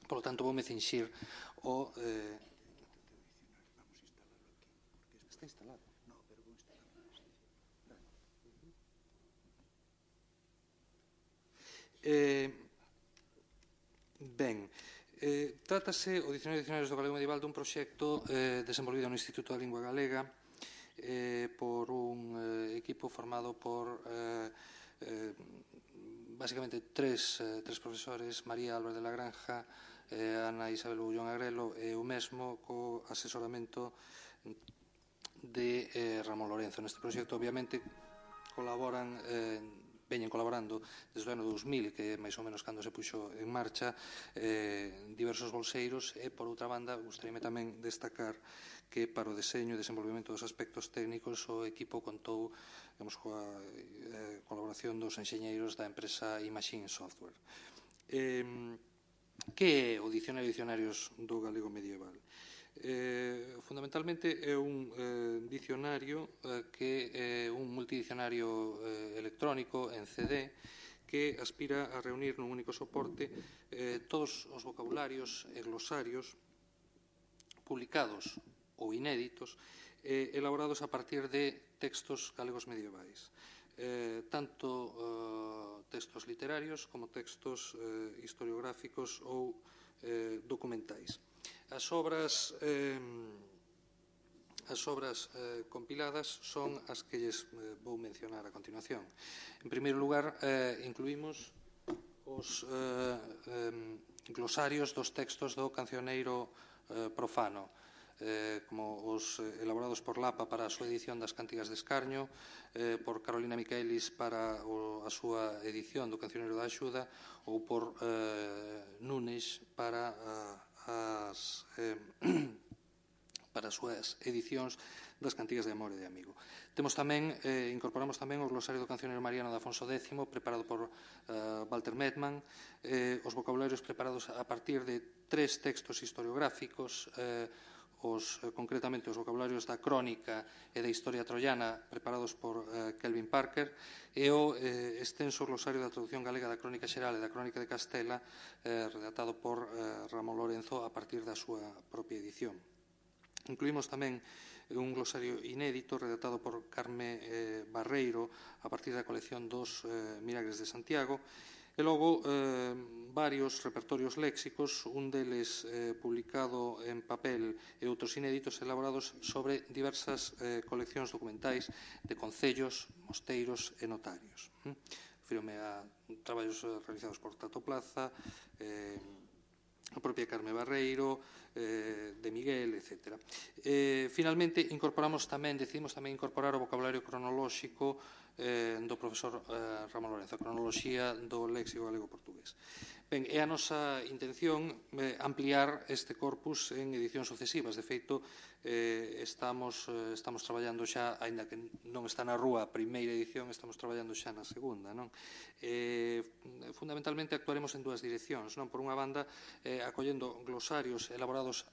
Por lo tanto, voume cinxir o... Está instalado? No, pero vou instalarlo. Ben, trátase o Dicionario de Dicionarios do Galego Medieval dun proxecto desenvolvido no Instituto da Lingua Galega por un equipo formado por basicamente tres profesores: María Álvarez de la Granja, Ana Isabel Bullón Agrelo e o mesmo co asesoramento de Ramón Lorenzo. Neste proxecto, obviamente, veñen colaborando desde o ano 2000, que é máis ou menos cando se puxo en marcha, diversos bolseiros, e, por outra banda, gustaríame tamén destacar que para o deseño e desenvolvemento dos aspectos técnicos o equipo contou coa colaboración dos enxeñeiros da empresa Imagine Software. Que é o Dicionario de Dicionarios do galego medieval? Fundamentalmente é un dicionario que é un multidicionario electrónico en CD que aspira a reunir nun único soporte todos os vocabularios e glosarios publicados ou inéditos elaborados a partir de textos galegos medievais, tanto textos literarios como textos historiográficos ou documentais. As obras compiladas son as que lles vou mencionar a continuación. En primeiro lugar, incluímos os glosarios dos textos do cancioneiro profano, como os elaborados por Lapa para a súa edición das Cántigas de Escarnio, por Carolina Michaelis para a súa edición do Cancioneiro da Axuda, ou por Nunes para as súas edicións das Cantigas de Amor e de Amigo. Incorporamos tamén o glosario do Cancioneiro Mariano de Afonso X, preparado por Walter Medman, os vocabularios preparados a partir de 3 textos historiográficos, concretamente os vocabularios da Crónica e da Historia Troiana, preparados por Kelvin Parker, e o extenso glosario da traducción galega da Crónica Xeral e da Crónica de Castela, redactado por Ramón Lorenzo a partir da súa propia edición. Incluímos tamén un glosario inédito redactado por Carme Barreiro a partir da colección dos Milagres de Santiago, e logo varios repertorios léxicos, un deles publicado en papel e outros inéditos elaborados sobre diversas coleccións documentais de concellos, mosteiros e notarios. Refírome a traballos realizados por Tato Plaza, a propia Carme Barreiro, de Miguel, etc. Finalmente, decidimos tamén incorporar o vocabulario cronolóxico do profesor Ramón Lorenzo, a cronoloxía do léxico galego-portugués. Ben, é a nosa intención ampliar este corpus en edicións sucesivas. De feito, estamos traballando xa, aínda que non está na rúa a primeira edición, estamos traballando xa na segunda. Fundamentalmente actuaremos en 2 direccións. Por unha banda, acollendo glosarios elaborados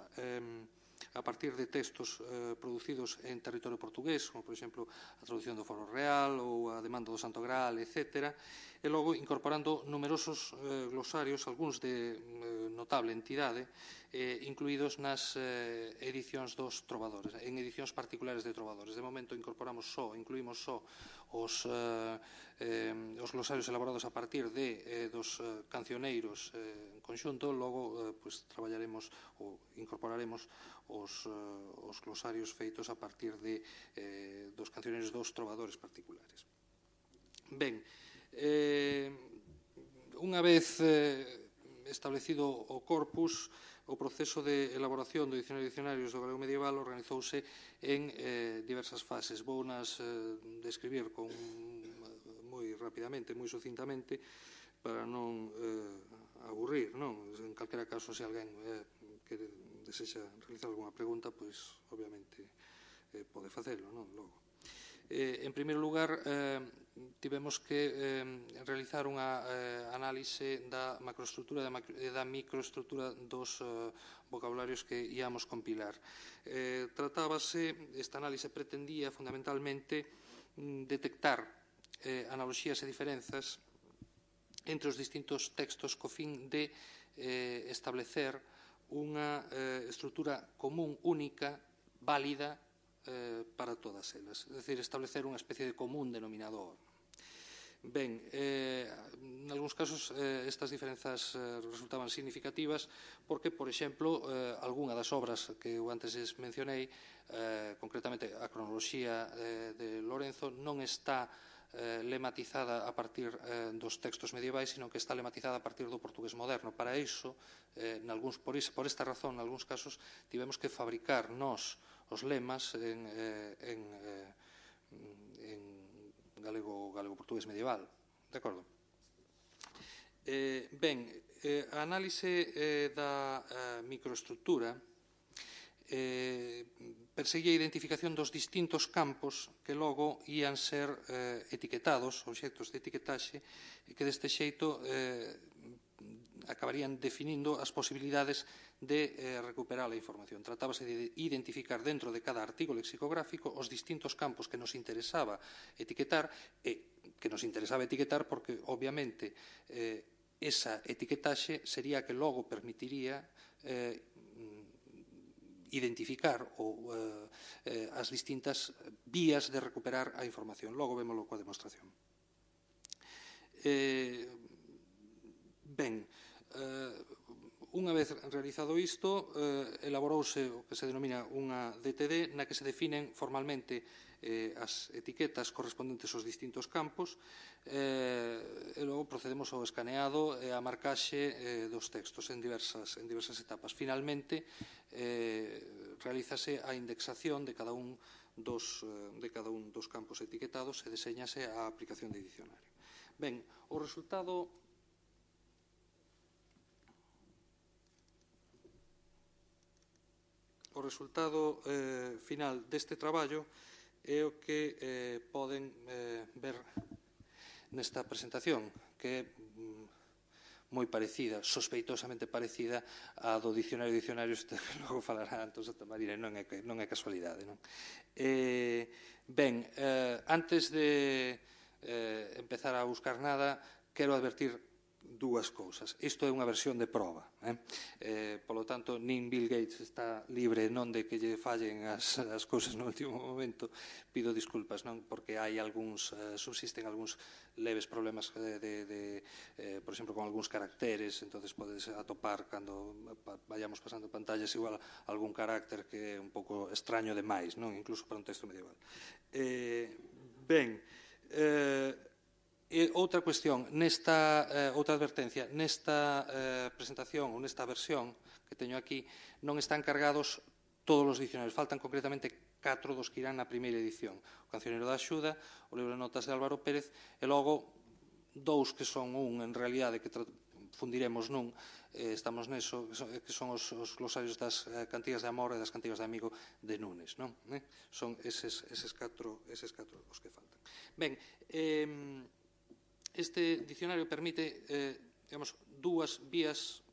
a partir de textos producidos en territorio portugués, como, por exemplo, a traducción do Foro Real ou a demanda do Santo Graal, etc., e logo incorporando numerosos glosarios, algúns de notable entidade, incluídos nas edicións dos trovadores, en edicións particulares de trovadores. De momento incluímos só os glosarios elaborados a partir dos cancioneiros en conxunto. Logo traballaremos ou incorporaremos os glosarios feitos a partir dos cancioneiros dos trovadores particulares. Ben, unha vez establecido o corpus, o proceso de elaboración do dicionario de dicionarios do galego medieval organizouse en diversas fases. Vou nas describir moi rapidamente, moi sucintamente, para non aburrir, non? En calquera caso, se alguén que desexa realizar alguna pregunta, pois, obviamente, pode facelo, non? Logo. En primeiro lugar, tivemos que realizar unha análise da macroestrutura e da microestrutura dos vocabularios que íamos compilar. Esta análise pretendía fundamentalmente detectar analogías e diferenzas entre os distintos textos co fin de establecer unha estrutura común, única, válida para todas elas, é dicir, establecer unha especie de común denominador. Ben, en algúns casos estas diferenzas resultaban significativas porque, por exemplo, algunha das obras que eu antes mencionei, concretamente a cronoloxía de Lorenzo, non está lematizada a partir dos textos medievais, sino que está lematizada a partir do portugués moderno. Para iso, por esta razón, en algúns casos, tivemos que fabricar nós os lemas en galego-portugués medieval. De acordo? Ben, a análise da microestrutura perseguía a identificación dos distintos campos que logo ían ser etiquetados, obxectos de etiquetaxe, e que deste xeito acabarían definindo as posibilidades de recuperar a información. Tratábase de identificar dentro de cada artigo lexicográfico os distintos campos que nos interesaba etiquetar porque, obviamente, esa etiquetaxe sería a que logo permitiría identificar as distintas vías de recuperar a información. Logo vémolo coa demostración. Ben, unha vez realizado isto, elaborouse o que se denomina unha DTD na que se definen formalmente as etiquetas correspondentes aos distintos campos e logo procedemos ao escaneado e á marcaxe dos textos en diversas etapas. Finalmente, realízase a indexación de cada un dos campos etiquetados e deseñase a aplicación de dicionario. Ben, o resultado final deste traballo é o que poden ver nesta presentación, que é moi parecida, sospeitosamente parecida á do dicionario de dicionarios que logo falará Antón Santamarina, non é casualidade. Ben, antes de empezar a buscar nada, quero advertir dúas cousas. Isto é unha versión de proba. Polo tanto, nin Bill Gates está libre non de que lle fallen as cousas no último momento. Pido disculpas, non? Porque subsisten algúns leves problemas por exemplo, con algúns caracteres, entonces podes atopar cando vayamos pasando pantallas igual algún carácter que é un pouco extraño demais, non? Incluso para un texto medieval. Ben, e outra cuestión, outra advertencia, nesta presentación ou nesta versión que teño aquí non están cargados todos os dicionarios, faltan concretamente 4 dos que irán na primeira edición, o Cancioneiro da Axuda, o libro de notas de Álvaro Pérez e logo 2 que son en realidade que fundiremos nun, estamos neso, que son os glosarios das cantigas de amor e das cantigas de amigo de Nunes, non? Son eses 4 os que faltan. Ben, este dicionario permite, digamos, 2 vías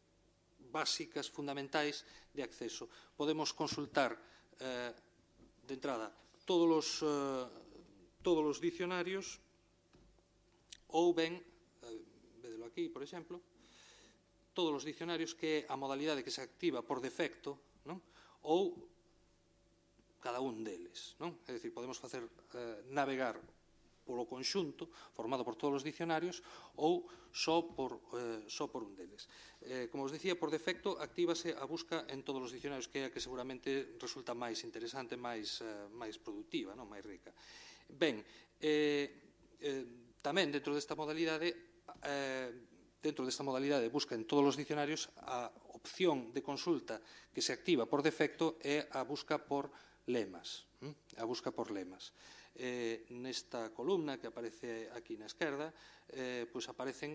básicas, fundamentais de acceso. Podemos consultar, de entrada, todos os dicionarios ou ben, védelo aquí, por exemplo, todos os dicionarios que é a modalidade que se activa por defecto, non? Ou cada un deles, non? É dicir, podemos facer navegar polo conxunto, formado por todos os dicionarios, ou só por un deles. Como vos dicía, por defecto, actívase a busca en todos os dicionarios, que é a que seguramente resulta máis interesante, máis productiva, máis rica. Ben, tamén dentro desta modalidade dentro desta modalidade de busca en todos os dicionarios, a opción de consulta que se activa por defecto é a busca por lemas. A busca por lemas. Nesta columna que aparece aquí na esquerda, pois aparecen,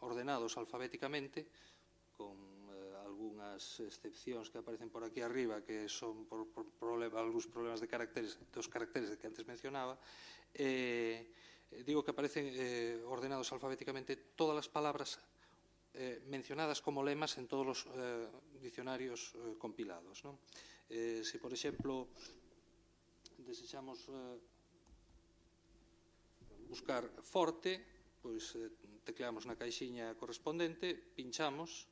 ordenados alfabéticamente, con algunhas excepcións que aparecen por aquí arriba, que son por algúns problemas de caracteres, dos caracteres que antes mencionaba. Digo que aparecen ordenados alfabéticamente todas as palabras mencionadas como lemas en todos os dicionarios compilados. Se, por exemplo, desexamos buscar forte, pois tecleamos na caixiña correspondente, pinchamos,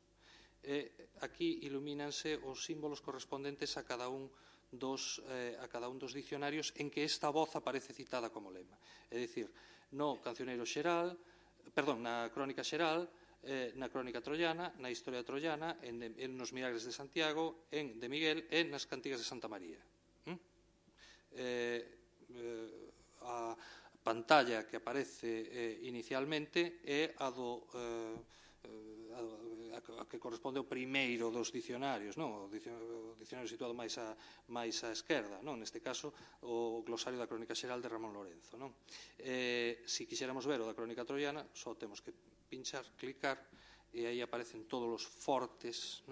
e aquí ilumínanse os símbolos correspondentes a cada un dos dicionarios en que esta voz aparece citada como lema. É dicir, no Cancioneiro Xeral, perdón, na Crónica Xeral, na Crónica Troiana, na Historia Troiana, en nos Milagres de Santiago, en de Miguel e nas Cantigas de Santa María. A pantalla que aparece inicialmente é a que corresponde ao primeiro dos dicionarios, o dicionario situado máis á esquerda, neste caso o glosario da Crónica Xeral de Ramón Lorenzo. Se quixéramos ver o da Crónica Troiana, só temos que pinchar, clicar, e aí aparecen todos os fortes,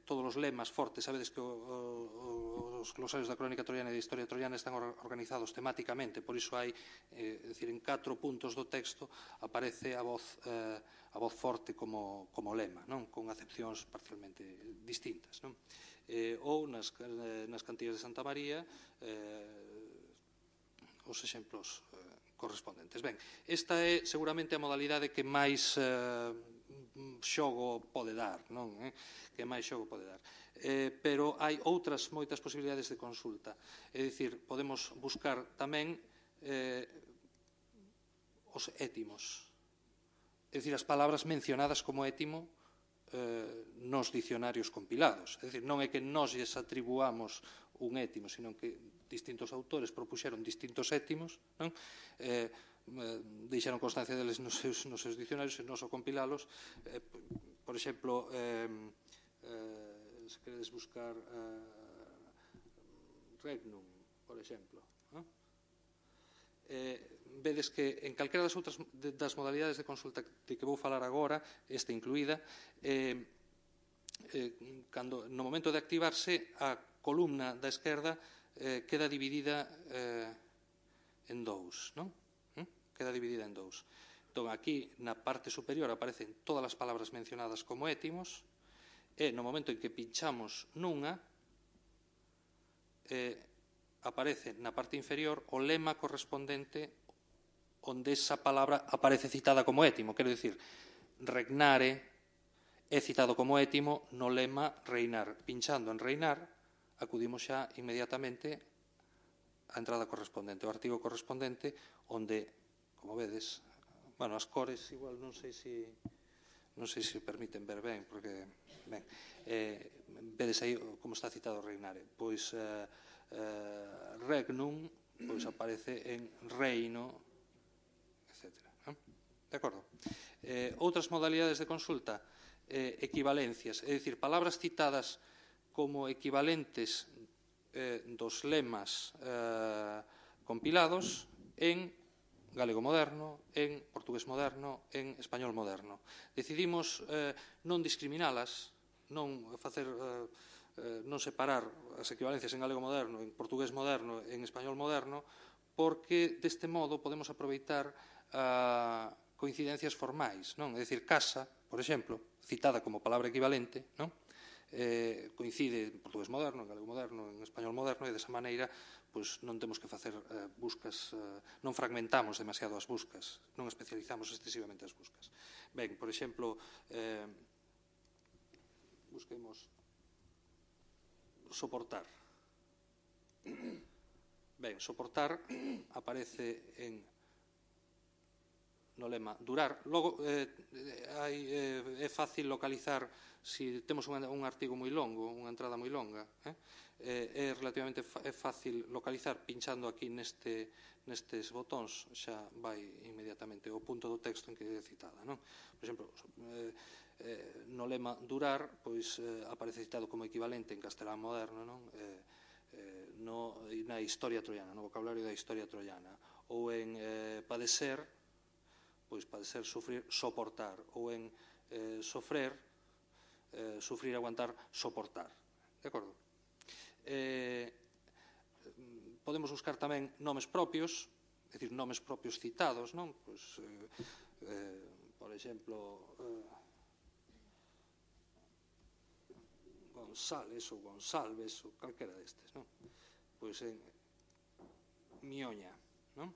todos os lemas fortes. Sabedes que os glosarios da Crónica Troiana e da Historia Troiana están organizados temáticamente, por iso hai, en 4 puntos do texto aparece a voz forte como lema, con acepcións parcialmente distintas. Ou nas Cantigas de Santa María, os exemplos correspondentes. Ben, esta é seguramente a modalidade que máis xogo pode dar, que máis xogo pode dar. Pero hai outras moitas posibilidades de consulta. É dicir, podemos buscar tamén os étimos. É dicir, as palabras mencionadas como étimo nos dicionarios compilados. É dicir, non é que nós lles atribuamos un étimo, sino que distintos autores propuxeron distintos étimos, deixaron constancia deles nos seus dicionarios e nós ao compilalos. Por exemplo, se queredes buscar regnum, por exemplo, vedes que en calquera das outras das modalidades de consulta de que vou falar agora, esta incluída, no momento de activarse, a columna da esquerda queda dividida en dous, queda dividida en dous. Entón, aquí, na parte superior, aparecen todas as palabras mencionadas como étimos, e no momento en que pinchamos nunha, aparece na parte inferior o lema correspondente onde esa palabra aparece citada como étimo. Quero dicir, regnare é citado como étimo no lema reinar. Pinchando en reinar, acudimos xa inmediatamente á entrada correspondente, o artigo correspondente, onde, como vedes, as cores igual non sei se permiten ver ben, porque, ben, vedes aí como está citado reinare. Pois regnum aparece en reino, etc. De acordo? Outras modalidades de consulta, equivalencias, é dicir, palabras citadas como equivalentes dos lemas compilados en galego moderno, en portugués moderno, en español moderno. Decidimos non discriminalas, non separar as equivalencias en galego moderno, en portugués moderno, en español moderno, porque deste modo podemos aproveitar coincidencias formais. É dicir, casa, por exemplo, citada como palabra equivalente, coincide en portugués moderno, en galego moderno, en español moderno, e desa maneira non temos que facer buscas, non fragmentamos demasiado as buscas, non especializamos excesivamente as buscas. Ben, por exemplo, busquemos soportar. Ben, soportar aparece en lema durar. Logo, é fácil localizar, se temos un artigo moi longo, unha entrada moi longa, é relativamente fácil localizar pinchando aquí nestes botóns, xa vai inmediatamente o punto do texto en que é citada. Por exemplo, no lema durar, pois aparece citado como equivalente en castelán moderno na historia troiana, no vocabulario da historia troiana. Ou en padecer, pois padecer, sufrir, soportar. Ou en sofrer, sufrir, aguantar, soportar. De acordo? Podemos buscar tamén nomes propios, é dicir, nomes propios citados, non? Pois, por exemplo, González ou Gonsalves ou calquera destes, non? Pois en Mioña, non?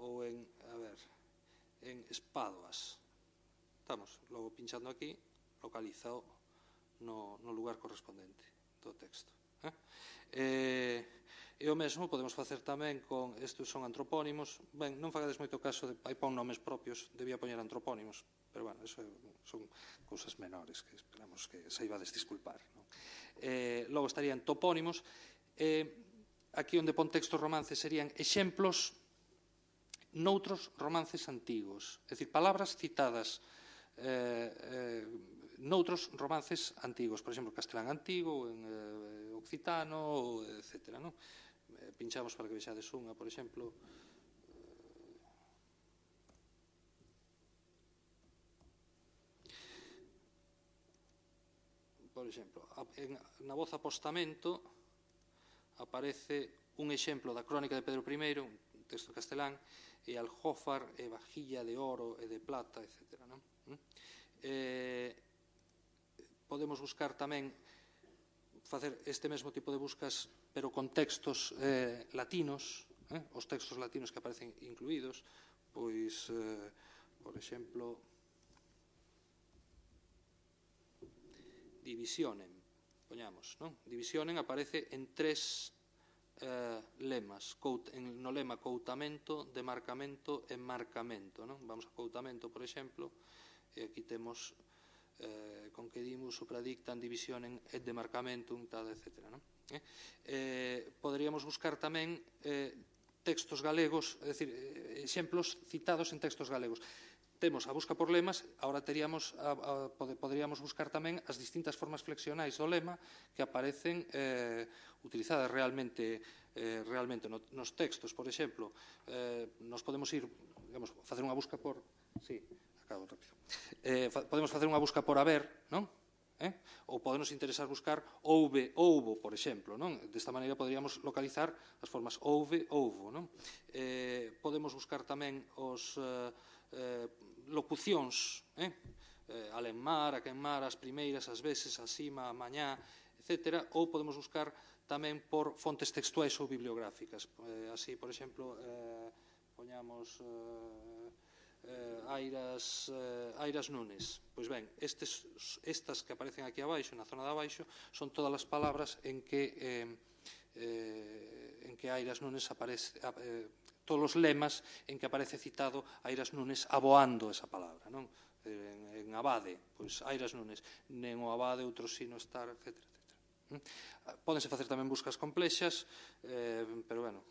Ou en, a ver, en Espadoas. Estamos, logo pinchando aquí, localizado no lugar correspondente do texto. E o mesmo podemos facer tamén con, estes son antropónimos, ben, non fagades moito caso de, hai pon nomes propios, debía poñer antropónimos, pero, bueno, eso son cousas menores que esperamos que saibades disculpar. Logo estarían topónimos, aquí onde pon textos romances serían exemplos noutros romances antigos, é dicir, palabras citadas noutros romances antigos, por exemplo, castelán antigo, en occitano, etc. Pinchamos para que vexades unha, por exemplo. Por exemplo, na voz apostamento aparece un exemplo da crónica de Pedro I, un texto castelán, e aljófar, e vajilla de oro e de plata, etc. Podemos buscar tamén, facer este mesmo tipo de buscas, pero con textos latinos, os textos latinos que aparecen incluídos, pois, por exemplo, divisionen, poñamos, non? Divisionen aparece en 3 lemas, no lema coutamento, demarcamento e marcamento, non? Vamos a coutamento, por exemplo, e aquí temos concedimos, supradictan, divisionen et demarcamentum, tal, etc. Poderíamos buscar tamén textos galegos, é dicir, exemplos citados en textos galegos. Temos a busca por lemas, agora poderíamos buscar tamén as distintas formas flexionais do lema que aparecen utilizadas realmente nos textos. Por exemplo, nos podemos ir, digamos, facer unha busca por... Sí, acabo rápido. Podemos facer unha busca por haber, non? Ou podemos interesar buscar houve, houbo, por exemplo, non? Desta maneira poderíamos localizar as formas houve, houbo, non? Podemos buscar tamén os locucións, alenmar, aquenmar, as primeiras, as veces, asima, a mañá, etc. Ou podemos buscar tamén por fontes textuais ou bibliográficas. Así, por exemplo, poñamos Airas Nunes. Pois ben, estas que aparecen aquí abaixo, na zona de abaixo, son todas as palabras en que Airas Nunes aparece, todos os lemas en que aparece citado Airas Nunes aboando esa palabra, non? En abade, pois Airas Nunes, nen o abade, outro sino estar, etc. Pódense facer tamén buscas complexas, pero, bueno.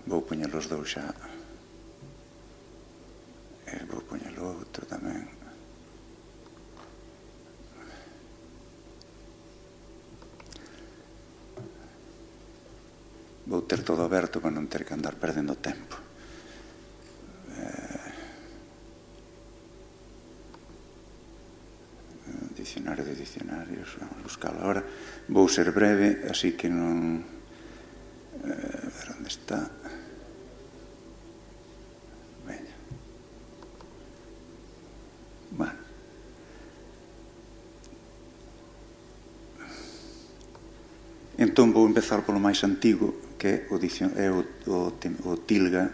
Vou poñer os dous xa. Vou poñer o outro tamén. Vou ter todo aberto para non ter que andar perdendo tempo. Dicionario de dicionarios, vamos a buscalo agora. Vou ser breve, así que non... A ver onde está... Bueno. Entón vou empezar polo máis antigo, que é o tilga.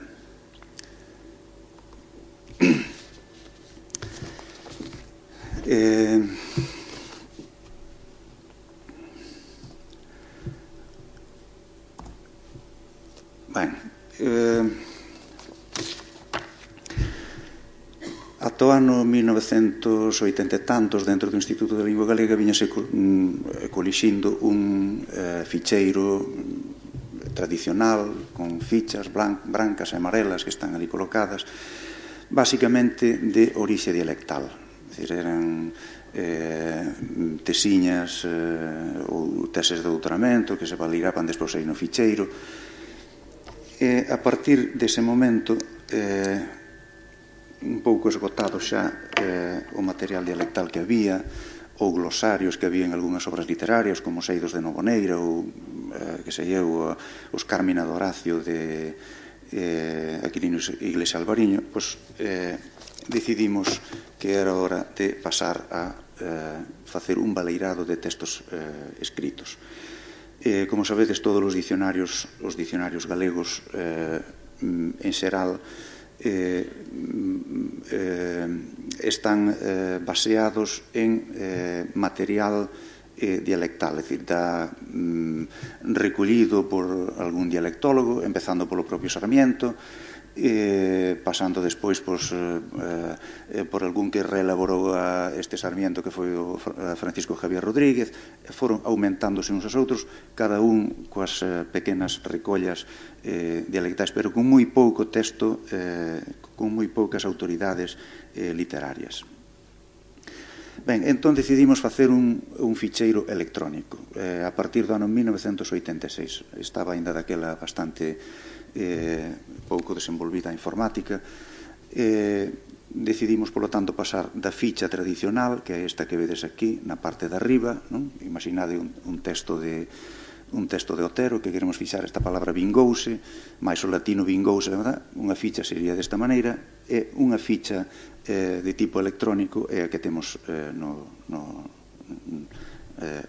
ano 1980 e tantos, dentro do Instituto de Lingua Galega, viñase colixindo un ficheiro tradicional con fichas brancas e amarelas que están ali colocadas, basicamente de orixe dialectal. É dicir, eran tesiñas ou teses de doutoramento que se valiraban despois aí no ficheiro. A partir dese momento, un pouco esgotado xa o material dialectal que había, ou glosarios que había en algunhas obras literarias, como os Eidos de Novoneira, ou, que sei eu, os Carmina de Horacio de Aquilino Iglesia Alvariño, pois decidimos que era hora de pasar a facer un baleirado de textos escritos. Como sabedes, todos os dicionarios galegos en xeral están baseados en material dialectal, é dicir, recollido por algún dialectólogo, empezando polo propio Sarmiento, pasando despois por algún que reelaborou este Sarmiento, que foi o Francisco Javier Rodríguez, foron aumentándose uns aos outros, cada un coas pequenas recollas dialectais, pero con moi pouco texto, con moi poucas autoridades literarias. Ben, entón decidimos facer un ficheiro electrónico. A partir do ano 1986, estaba ainda daquela bastante pouco desenvolvida a informática, decidimos, polo tanto, pasar da ficha tradicional, que é esta que vedes aquí, na parte de arriba, non? Imaginade un texto de Otero, que queremos fixar esta palabra vingouse, máis o latino vingouse, unha ficha sería desta maneira, e unha ficha de tipo electrónico é a que temos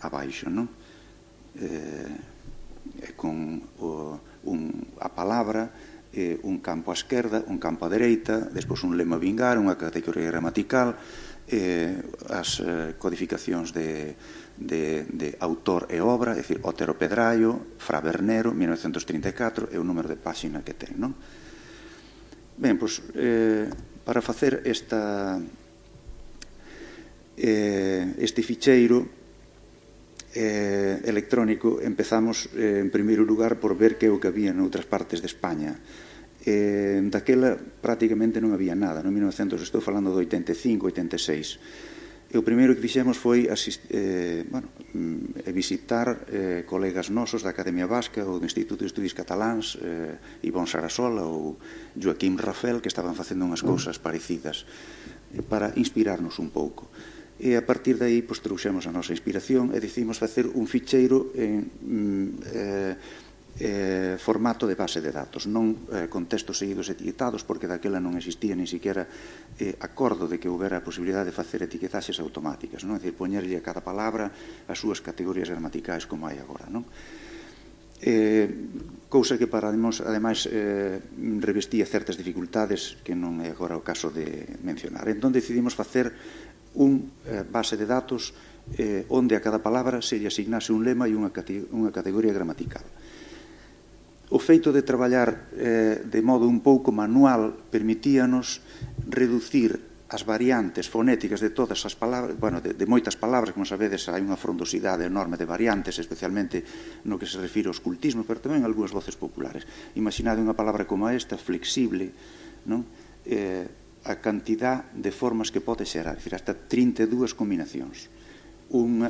abaixo, non? Con a palabra, un campo á esquerda, un campo á dereita, despois un lema vingar, unha categoría gramatical, as codificacións de autor e obra, é dicir, Otero Pedraio, Fra Bernero, 1934, e o número de páxina que ten, non? Ben, pois, para facer este ficheiro electrónico, empezamos en primeiro lugar por ver que é o que había noutras partes de España. Daquela prácticamente non había nada, no 1900, estou falando do 85, 86. E o primeiro que fixemos foi visitar colegas nosos da Academia Vasca ou do Instituto de Estudios Cataláns, Ivón Sarasola ou Joaquim Rafel, que estaban facendo unhas cousas parecidas, para inspirarnos un pouco. E a partir de aí trouxemos a nosa inspiración e decidimos facer un ficheiro en formato de base de datos, non con textos seguidos etiquetados, porque daquela non existía ni siquiera acordo de que houbera a posibilidade de facer etiquetaxes automáticas, non? É dicir, poñerlle a cada palabra as súas categorías gramaticais como hai agora, non? Cousa que ademais revestía certas dificultades que non é agora o caso de mencionar. Entón decidimos facer un base de datos onde a cada palabra se lle asignase un lema e unha categoría gramatical. O feito de traballar de modo un pouco manual permitíanos reducir as variantes fonéticas de todas as palabras, de moitas palabras, como sabedes, hai unha frondosidade enorme de variantes, especialmente no que se refire ao escultismo, pero tamén algunhas voces populares. Imaginade unha palabra como esta, flexible, non? A cantidad de formas que pode xerar, é dicir, hasta 32 combinacións. Un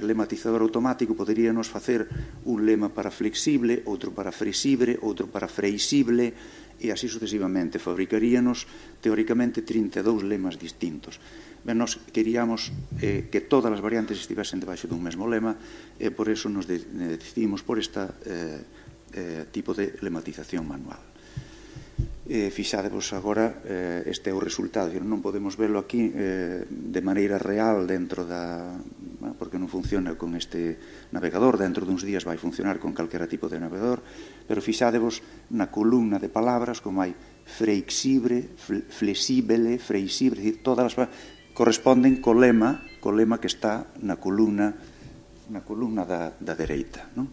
lematizador automático poderíanos facer un lema para flexible, outro para fresible, outro para freisible, e así sucesivamente. Fabricaríanos, teóricamente, 32 lemas distintos. Ben, nos queríamos que todas as variantes estivesen debaixo dun mesmo lema, e por eso nos decidimos por este tipo de lematización manual. Fixadevos agora, este é o resultado, non podemos verlo aquí de maneira real dentro porque non funciona con este navegador, dentro duns días vai funcionar con calquera tipo de navegador, pero fixadevos na columna de palabras como hai flexible, flexible, freisible, é dicir, todas as palabras corresponden co lema que está na columna da dereita, non?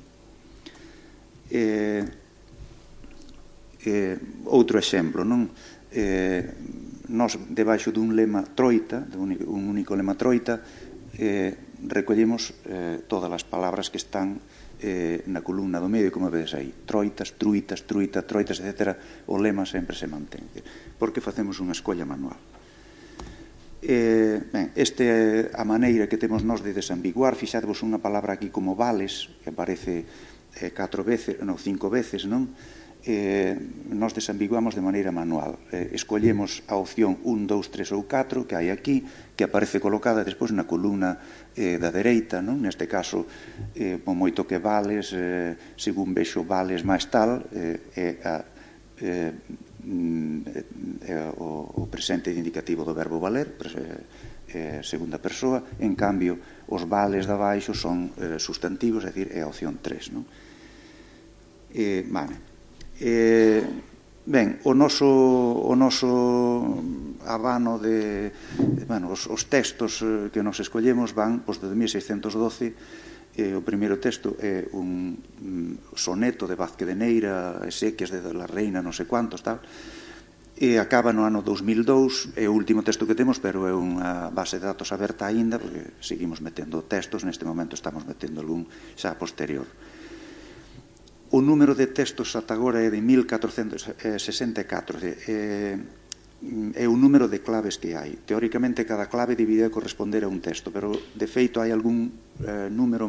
Outro exemplo, non? nós, debaixo dun lema troita, un único lema troita, recollemos todas as palabras que están na columna do medio, como vedes aí, troitas, truitas, truita, troitas, etc. O lema sempre se mantén, porque facemos unha escolla manual. Esta é a maneira que temos nós de desambiguar. Fixadevos unha palabra aquí como vales, que aparece 5 veces, non? Nos desambiguamos de maneira manual. Escollemos a opción 1, 2, 3 ou 4 que hai aquí, que aparece colocada despois na columna da dereita, non? Neste caso, por moito que vales, según vexo vales máis tal, o presente indicativo do verbo valer, segunda persoa. En cambio, os vales de abaixo son sustantivos, é dicir, é a opción 3, non? Ben, o noso abano de, os textos que nos escollemos van de 1612. O primeiro texto é un soneto de Vázquez de Neira, Exequias de la Reina, non sei cuántos, tal, e acaba no ano 2002. É o último texto que temos, pero é unha base de datos aberta aínda, porque seguimos metendo textos. Neste momento estamos metendo algún xa posterior. O número de textos ata agora é de 1464, é o número de claves que hai. Teóricamente, cada clave debería corresponder a un texto, pero, de feito, hai algún número,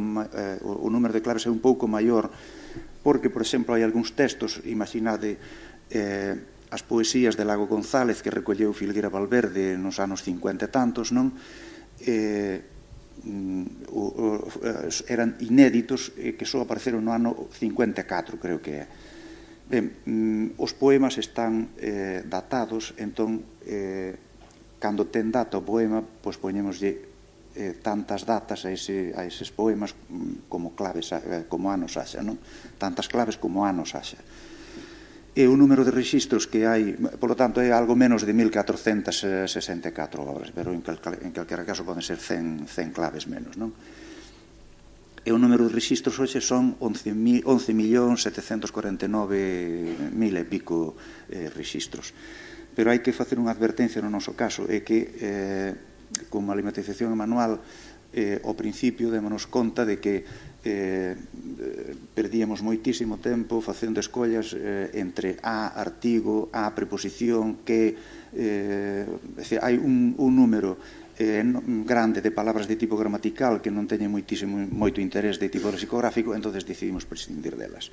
o número de claves é un pouco maior, porque, por exemplo, hai algúns textos, imaginade as poesías de Lago González que recolleu Filgueira Valverde nos anos 50 e tantos, non? Eran inéditos, que só apareceron no ano 54, creo que é. Ben, os poemas están datados, entón, cando ten data o poema, pois poñémoslle tantas datas a eses poemas como claves, como anos haxa, non? Tantas claves como anos haxa. E o número de registros que hai, polo tanto, é algo menos de 1464 obras, pero en calquera caso poden ser 100 claves menos, non? E o número de registros hoxe son 11.749.000 e pico registros. Pero hai que facer unha advertencia no noso caso, é que, como a alimentación manual, ao principio démonos conta de que perdíamos moitísimo tempo facendo escollas entre a artigo, a preposición, que hai un número grande de palabras de tipo gramatical que non teñen moito interés de tipo lexicográfico, entonces decidimos prescindir delas.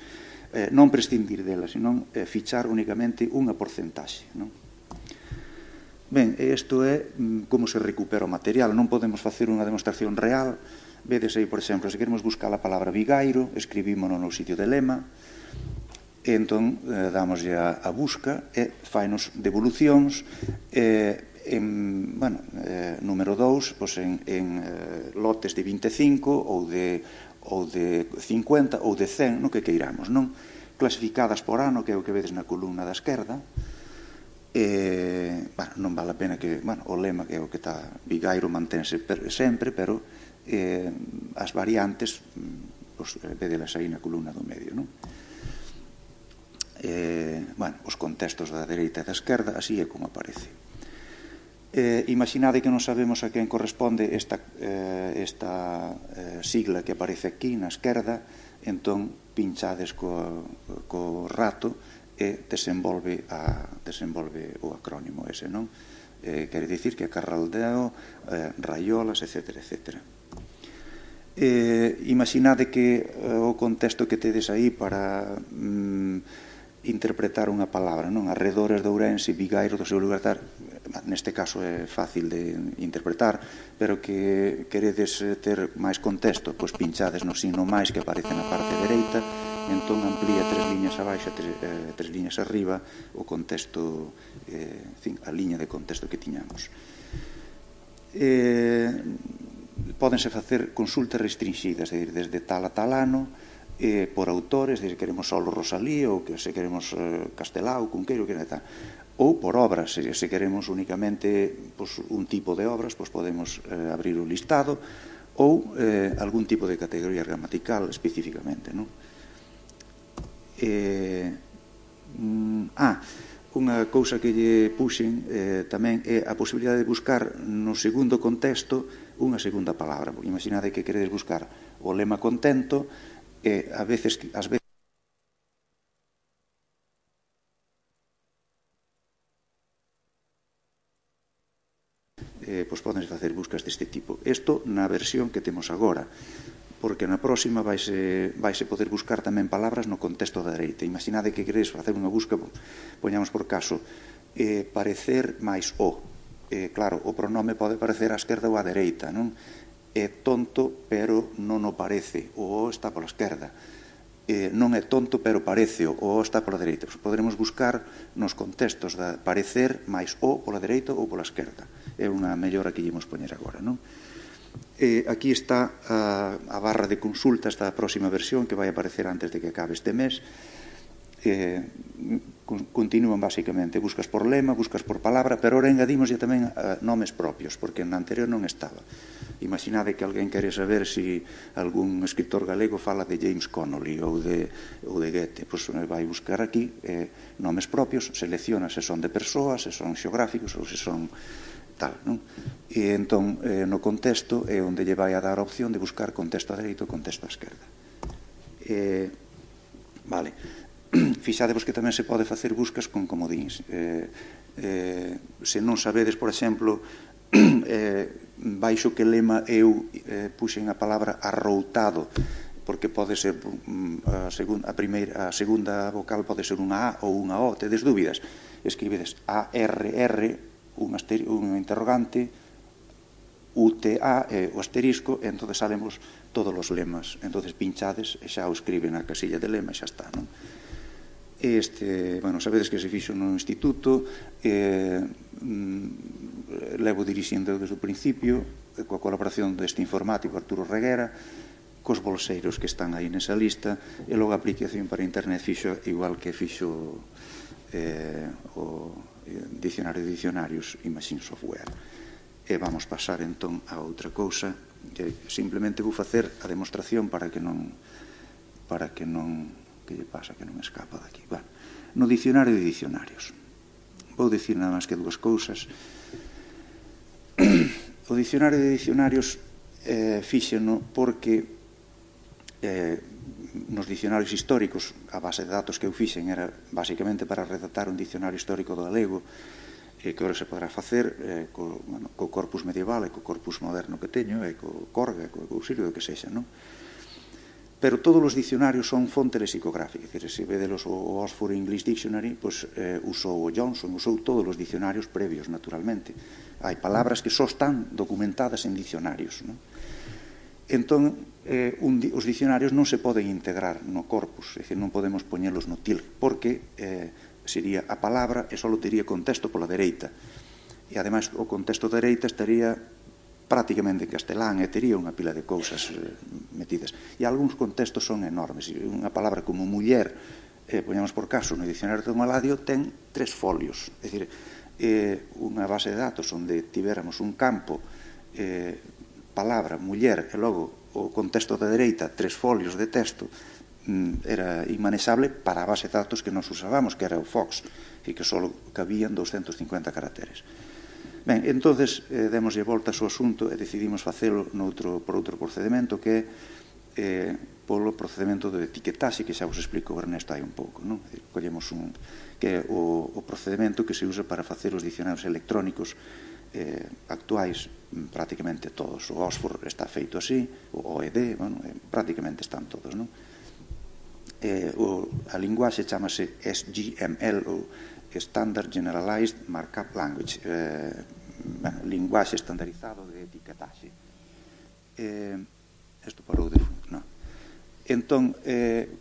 Non prescindir delas, senón fichar únicamente unha porcentaxe, non? Ben, isto é como se recupera o material. Non podemos facer unha demostración real. Vedes aí, por exemplo, se queremos buscar a palabra vigairo, escribímono no sitio de lema, e entón damoslle a busca e fainos devolucións. Número 2, en lotes de 25 ou de 50 ou de 100, no que queiramos, non? Clasificadas por ano, que é o que vedes na columna da esquerda. Non vale a pena que, o lema que é o que está vigairo mantense sempre, pero as variantes vedelas aí na columna do medio, non? Os contextos da dereita e da esquerda, así é como aparece. Imaginade que non sabemos a quen corresponde esta sigla que aparece aquí na esquerda, entón pinchades co rato e desenvolve o acrónimo ese, non? Quere dicir que Carraldeo, Raiolas, etc. Imaginade que o contexto que tedes aí para interpretar unha palabra, non? Arredores de Ourense, Vigairo do seu lugar, neste caso é fácil de interpretar, pero que queredes ter máis contexto, pois pinchades no signo máis que aparece na parte dereita, entón amplía 3 liñas abaixo, 3 liñas arriba o contexto, a liña de contexto que tiñamos. Pódense facer consultas restringidas, é dicir, desde tal a tal ano, por autores, se queremos solo Rosalía ou se queremos Castelao, Cunqueiro, ou por obras, se queremos únicamente un tipo de obras, podemos abrir o listado, ou algún tipo de categoría gramatical especificamente, non? unha cousa que lle puxen tamén é a posibilidade de buscar no segundo contexto unha segunda palabra. Imaginade que queredes buscar o lema contento e ás veces pois podense facer buscas deste tipo. Isto na versión que temos agora, porque na próxima vaise poder buscar tamén palabras no contexto da dereita. Imaginade que queredes facer unha busca, poñamos por caso, parecer máis o. Claro, o pronome pode parecer á esquerda ou á dereita, non? É tonto, pero non o parece. O está pola esquerda. Non é tonto, pero parece. O está pola dereita. Poderemos buscar nos contextos da parecer máis o pola dereita ou pola esquerda. É unha mellora que íamos poñer agora, non? Aquí está a barra de consulta, esta próxima versión que vai aparecer antes de que acabe este mes. Continúan basicamente, buscas por lema, buscas por palabra, pero ahora engadimos ya tamén nomes propios, porque na anterior non estaba. Imaginade que alguén quere saber se algún escritor galego fala de James Connolly ou de Goethe, pois vai buscar aquí nomes propios, selecciona se son de persoas, se son xeográficos ou se son tal, non? E entón no contexto é onde lle vai a dar a opción de buscar contexto a dereita ou contexto a esquerda. Vale. Fixadevos que tamén se pode facer buscas con comodíns. Se non sabedes, por exemplo, baixo que lema eu puxen a palabra arroutado, porque pode ser a segunda vocal pode ser unha A ou unha O, tedes dúbidas, escribedes ARR, un interrogante, UTA, o asterisco, e entón salemos todos os lemas. Entón pinchades e xa o escriben na casilla de lema e xa está, non? Bueno, sabedes que se fixo no instituto, levo dirixindo desde o principio, coa colaboración deste informático Arturo Reguera, cos bolseiros que están aí nesa lista, e logo a aplicación para internet fixo igual que fixo o dicionario de dicionarios Imagine Software. E vamos pasar entón a outra cousa, que simplemente vou facer a demostración para que non que lle pasa que non escapa daqui. Bueno, no dicionario de dicionarios vou dicir nada máis que dúas cousas. O dicionario de dicionarios fíxeno porque nos dicionarios históricos a base de datos que eu fixen era basicamente para redactar un dicionario histórico do galego, que agora se podrá facer co corpus medieval e co corpus moderno que teño, e co Corga, co auxilio do que sexa, non? Pero todos os dicionarios son fonte lexicográfica. Se vedelos o Oxford English Dictionary, usou o Johnson, usou todos os dicionarios previos, naturalmente. Hai palabras que só están documentadas en dicionarios, non? Entón, os dicionarios non se poden integrar no corpus, é dicir, non podemos poñelos no til, porque sería a palabra e só tería contexto pola dereita. E, ademais, o contexto da dereita estaría prácticamente en castelán e tería unha pila de cousas metidas. E algúns contextos son enormes. Unha palabra como muller, poñamos por caso, no dicionario de Maladio ten 3 folios. É dicir, unha base de datos onde tivéramos un campo, palabra, muller, e logo o contexto da dereita, 3 folios de texto, era inmanexable para a base de datos que nos usábamos, que era o Fox, e que só cabían 250 caracteres. Ben, entonces demoslle voltas ao asunto e decidimos facelo por outro procedimento, que é polo procedimento de etiquetaxe, que xa vos explico o Ernesto hai un pouco, non? Collemos que é o procedimento que se usa para facer os dicionarios electrónicos actuais, prácticamente todos. O Oxford está feito así, o OED, bueno, prácticamente están todos, non? A linguaxe chamase SGML, ou Standard Generalized Markup Language, linguaxe estandarizado de etiquetaxe. Isto parou de funcionar. Entón,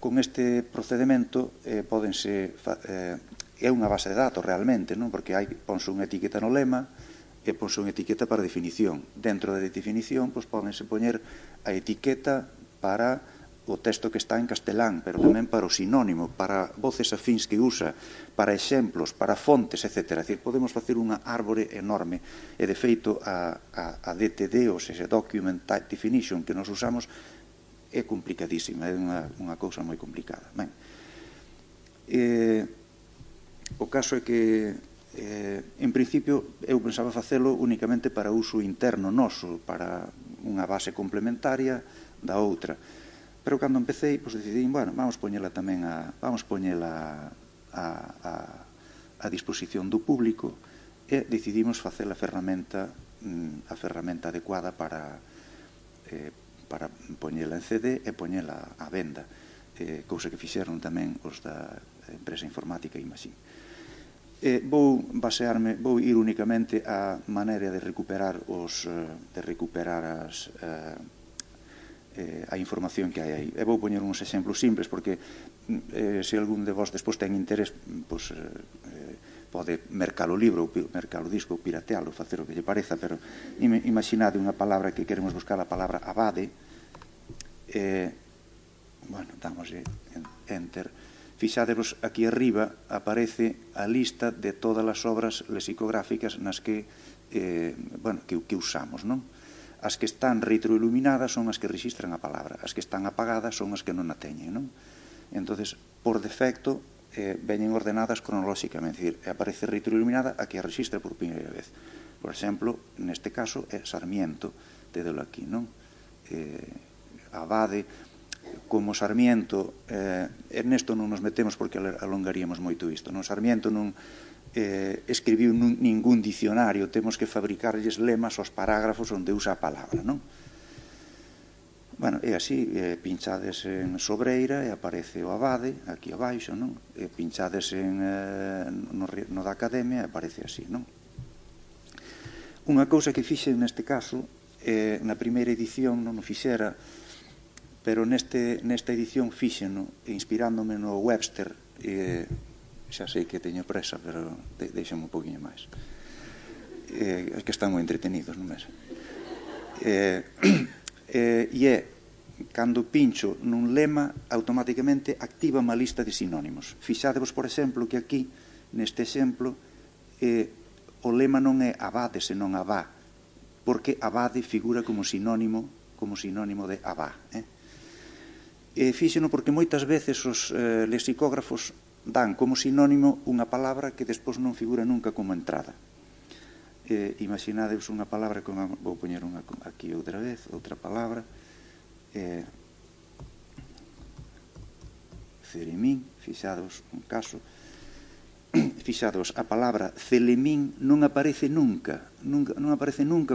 con este procedimento pódense é unha base de datos realmente, non? Porque ponse unha etiqueta no lema e ponse unha etiqueta para definición. Dentro da definición pódense poñer a etiqueta para o texto que está en castelán, pero tamén para o sinónimo, para voces afíns que usa, para exemplos, para fontes, etc. É dicir, podemos facer unha árbore enorme, e de feito a DTD, ou seja, Document Type Definition, que nos usamos, é complicadísima, é unha cousa moi complicada. Ben, O caso é que, en principio, eu pensaba facelo únicamente para uso interno noso, para unha base complementaria da outra. Pero cando empecé, decidí, bueno, vamos poñela tamén a disposición do público e decidimos facer a ferramenta adecuada para poñela en CD e poñela á venda, cousa que fixeron tamén os da empresa informática Imagine. Vou ir únicamente á maneira de recuperar a información que hai aí. E vou poñer uns exemplos simples, porque se algún de vos despois ten interés, pode mercar o libro, mercar o disco, piratealo, facer o que lle pareza, pero imaginade unha palabra que queremos buscar, a palabra abade, bueno, damoslle enter. Fixadevos, aquí arriba aparece a lista de todas as obras lexicográficas nas que usamos, non? As que están retroiluminadas son as que rexistran a palabra, as que están apagadas son as que non a teñen, non? Entonces, por defecto, veñen ordenadas cronolóxicamente, é dicir, aparece retroiluminada a que a rexistra por primeira vez. Por exemplo, neste caso é Sarmiento, tédelo aquí, non? Abade, como Sarmiento, nesto non nos metemos porque alongaríamos moito isto, non? Sarmiento non escribiu ningún dicionario, temos que fabricarlles lemas aos parágrafos onde usa a palabra, non? Bueno, é así, pinchades en Sobreira e aparece o abade, aquí abaixo, non? Pinchades no da Academia e aparece así, non? Unha cousa que fixen neste caso, na primeira edición non o fixera, pero nesta edición fíxeno, inspirándome no Webster, xa sei que teño presa, pero deixame un poquinho máis. É que están moi entretenidos, non é? E cando pincho nun lema, automáticamente activa unha lista de sinónimos. Fixadevos, por exemplo, que aquí, neste exemplo, o lema non é abade, senón abá, porque abade figura como sinónimo de abá, fíxeno porque moitas veces os lexicógrafos dan como sinónimo unha palabra que despois non figura nunca como entrada. Imaginadevos unha palabra, vou poñer aquí outra vez, outra palabra, celemín, fixados un caso, fixados, a palabra celemín non aparece nunca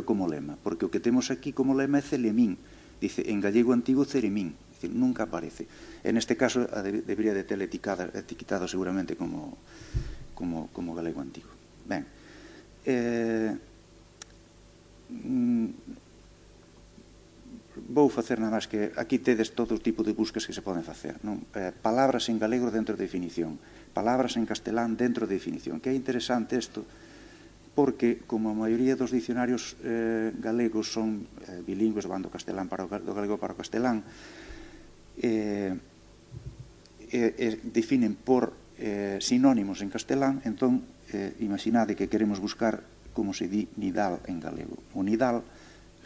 como lema, porque o que temos aquí como lema é celemín, dice en gallego antigo ceremín, nunca aparece. En este caso debería de ter etiquetado seguramente como galego antigo. Ben, vou facer nada máis que aquí tedes todo o tipo de buscas que se poden facer, non? Palabras en galego dentro de definición, palabras en castelán dentro de definición, que é interesante isto porque como a maioría dos dicionarios galegos son bilingües, van do galego para o castelán, definen por sinónimos en castelán, entón imaginade que queremos buscar como se di nidal en galego. O nidal,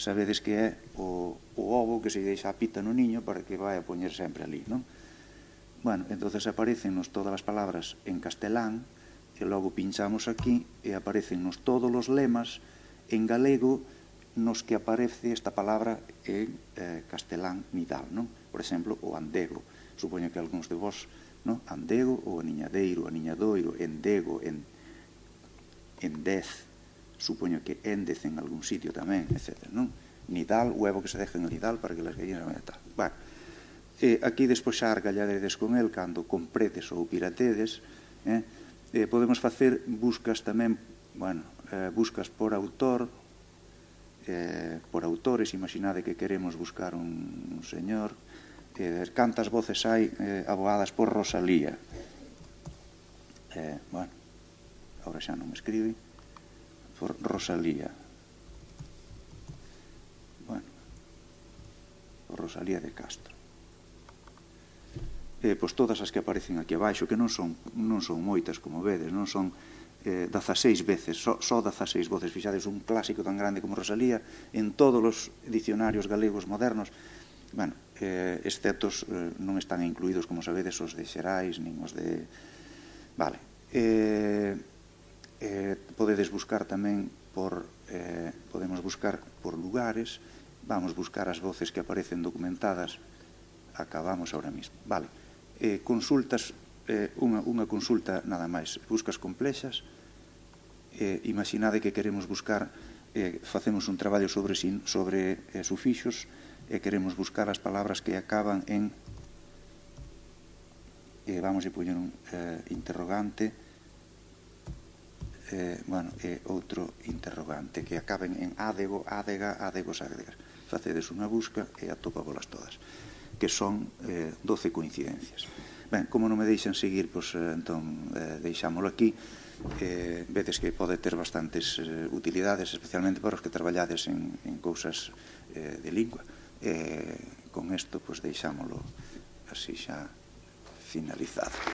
sabedes que é o ovo que se deixa a pita no niño para que vai a poñer sempre ali, non? Bueno, entonces aparecennos todas as palabras en castelán e logo pinchamos aquí e aparecennos todos os lemas en galego nos que aparece esta palabra en castelán nidal, non? Por exemplo, o andego. Supoño que algúns de vos, non? Andego, o aniñadeiro, aniñadoiro, endego, endez. Supoño que endez en algún sitio tamén, etc. Non? Nidal, huevo que se deja en el nidal para que las gallinas non tal. Bueno, aquí despois xa argalladedes con el cando compredes ou piratedes. Podemos facer buscas tamén, bueno, buscas por autor, por autores. Imaginade que queremos buscar un señor, cantas voces hai abogadas por Rosalía. Bueno, agora xa non me escribe, por Rosalía. Bueno, por Rosalía de Castro. Pois todas as que aparecen aquí abaixo, que non son moitas, como vedes, non son 16 veces, só 16 voces. Fixades un clásico tan grande como Rosalía en todos os dicionarios galegos modernos. Bueno, excepto non están incluídos, como sabedes, os de Xerais, nin os de... Vale, Podedes buscar tamén podemos buscar por lugares, vamos buscar as voces que aparecen documentadas, acabamos ahora mismo. Vale. Consultas, unha consulta nada máis, buscas complexas, imaginade que queremos buscar, facemos un traballo sobre sufixos e queremos buscar as palabras que acaban en, vamos a poñer un interrogante, outro interrogante que acaben en ádego, ádega, ádegos, ádegas. Facedes unha busca e atópabolas todas, que son 12 coincidencias. Ben, como non me deixan seguir, entón deixámolo aquí. Vedes que pode ter bastantes utilidades, especialmente para os que traballades en cousas de lingua. Con isto, deixámolo así xa finalizado.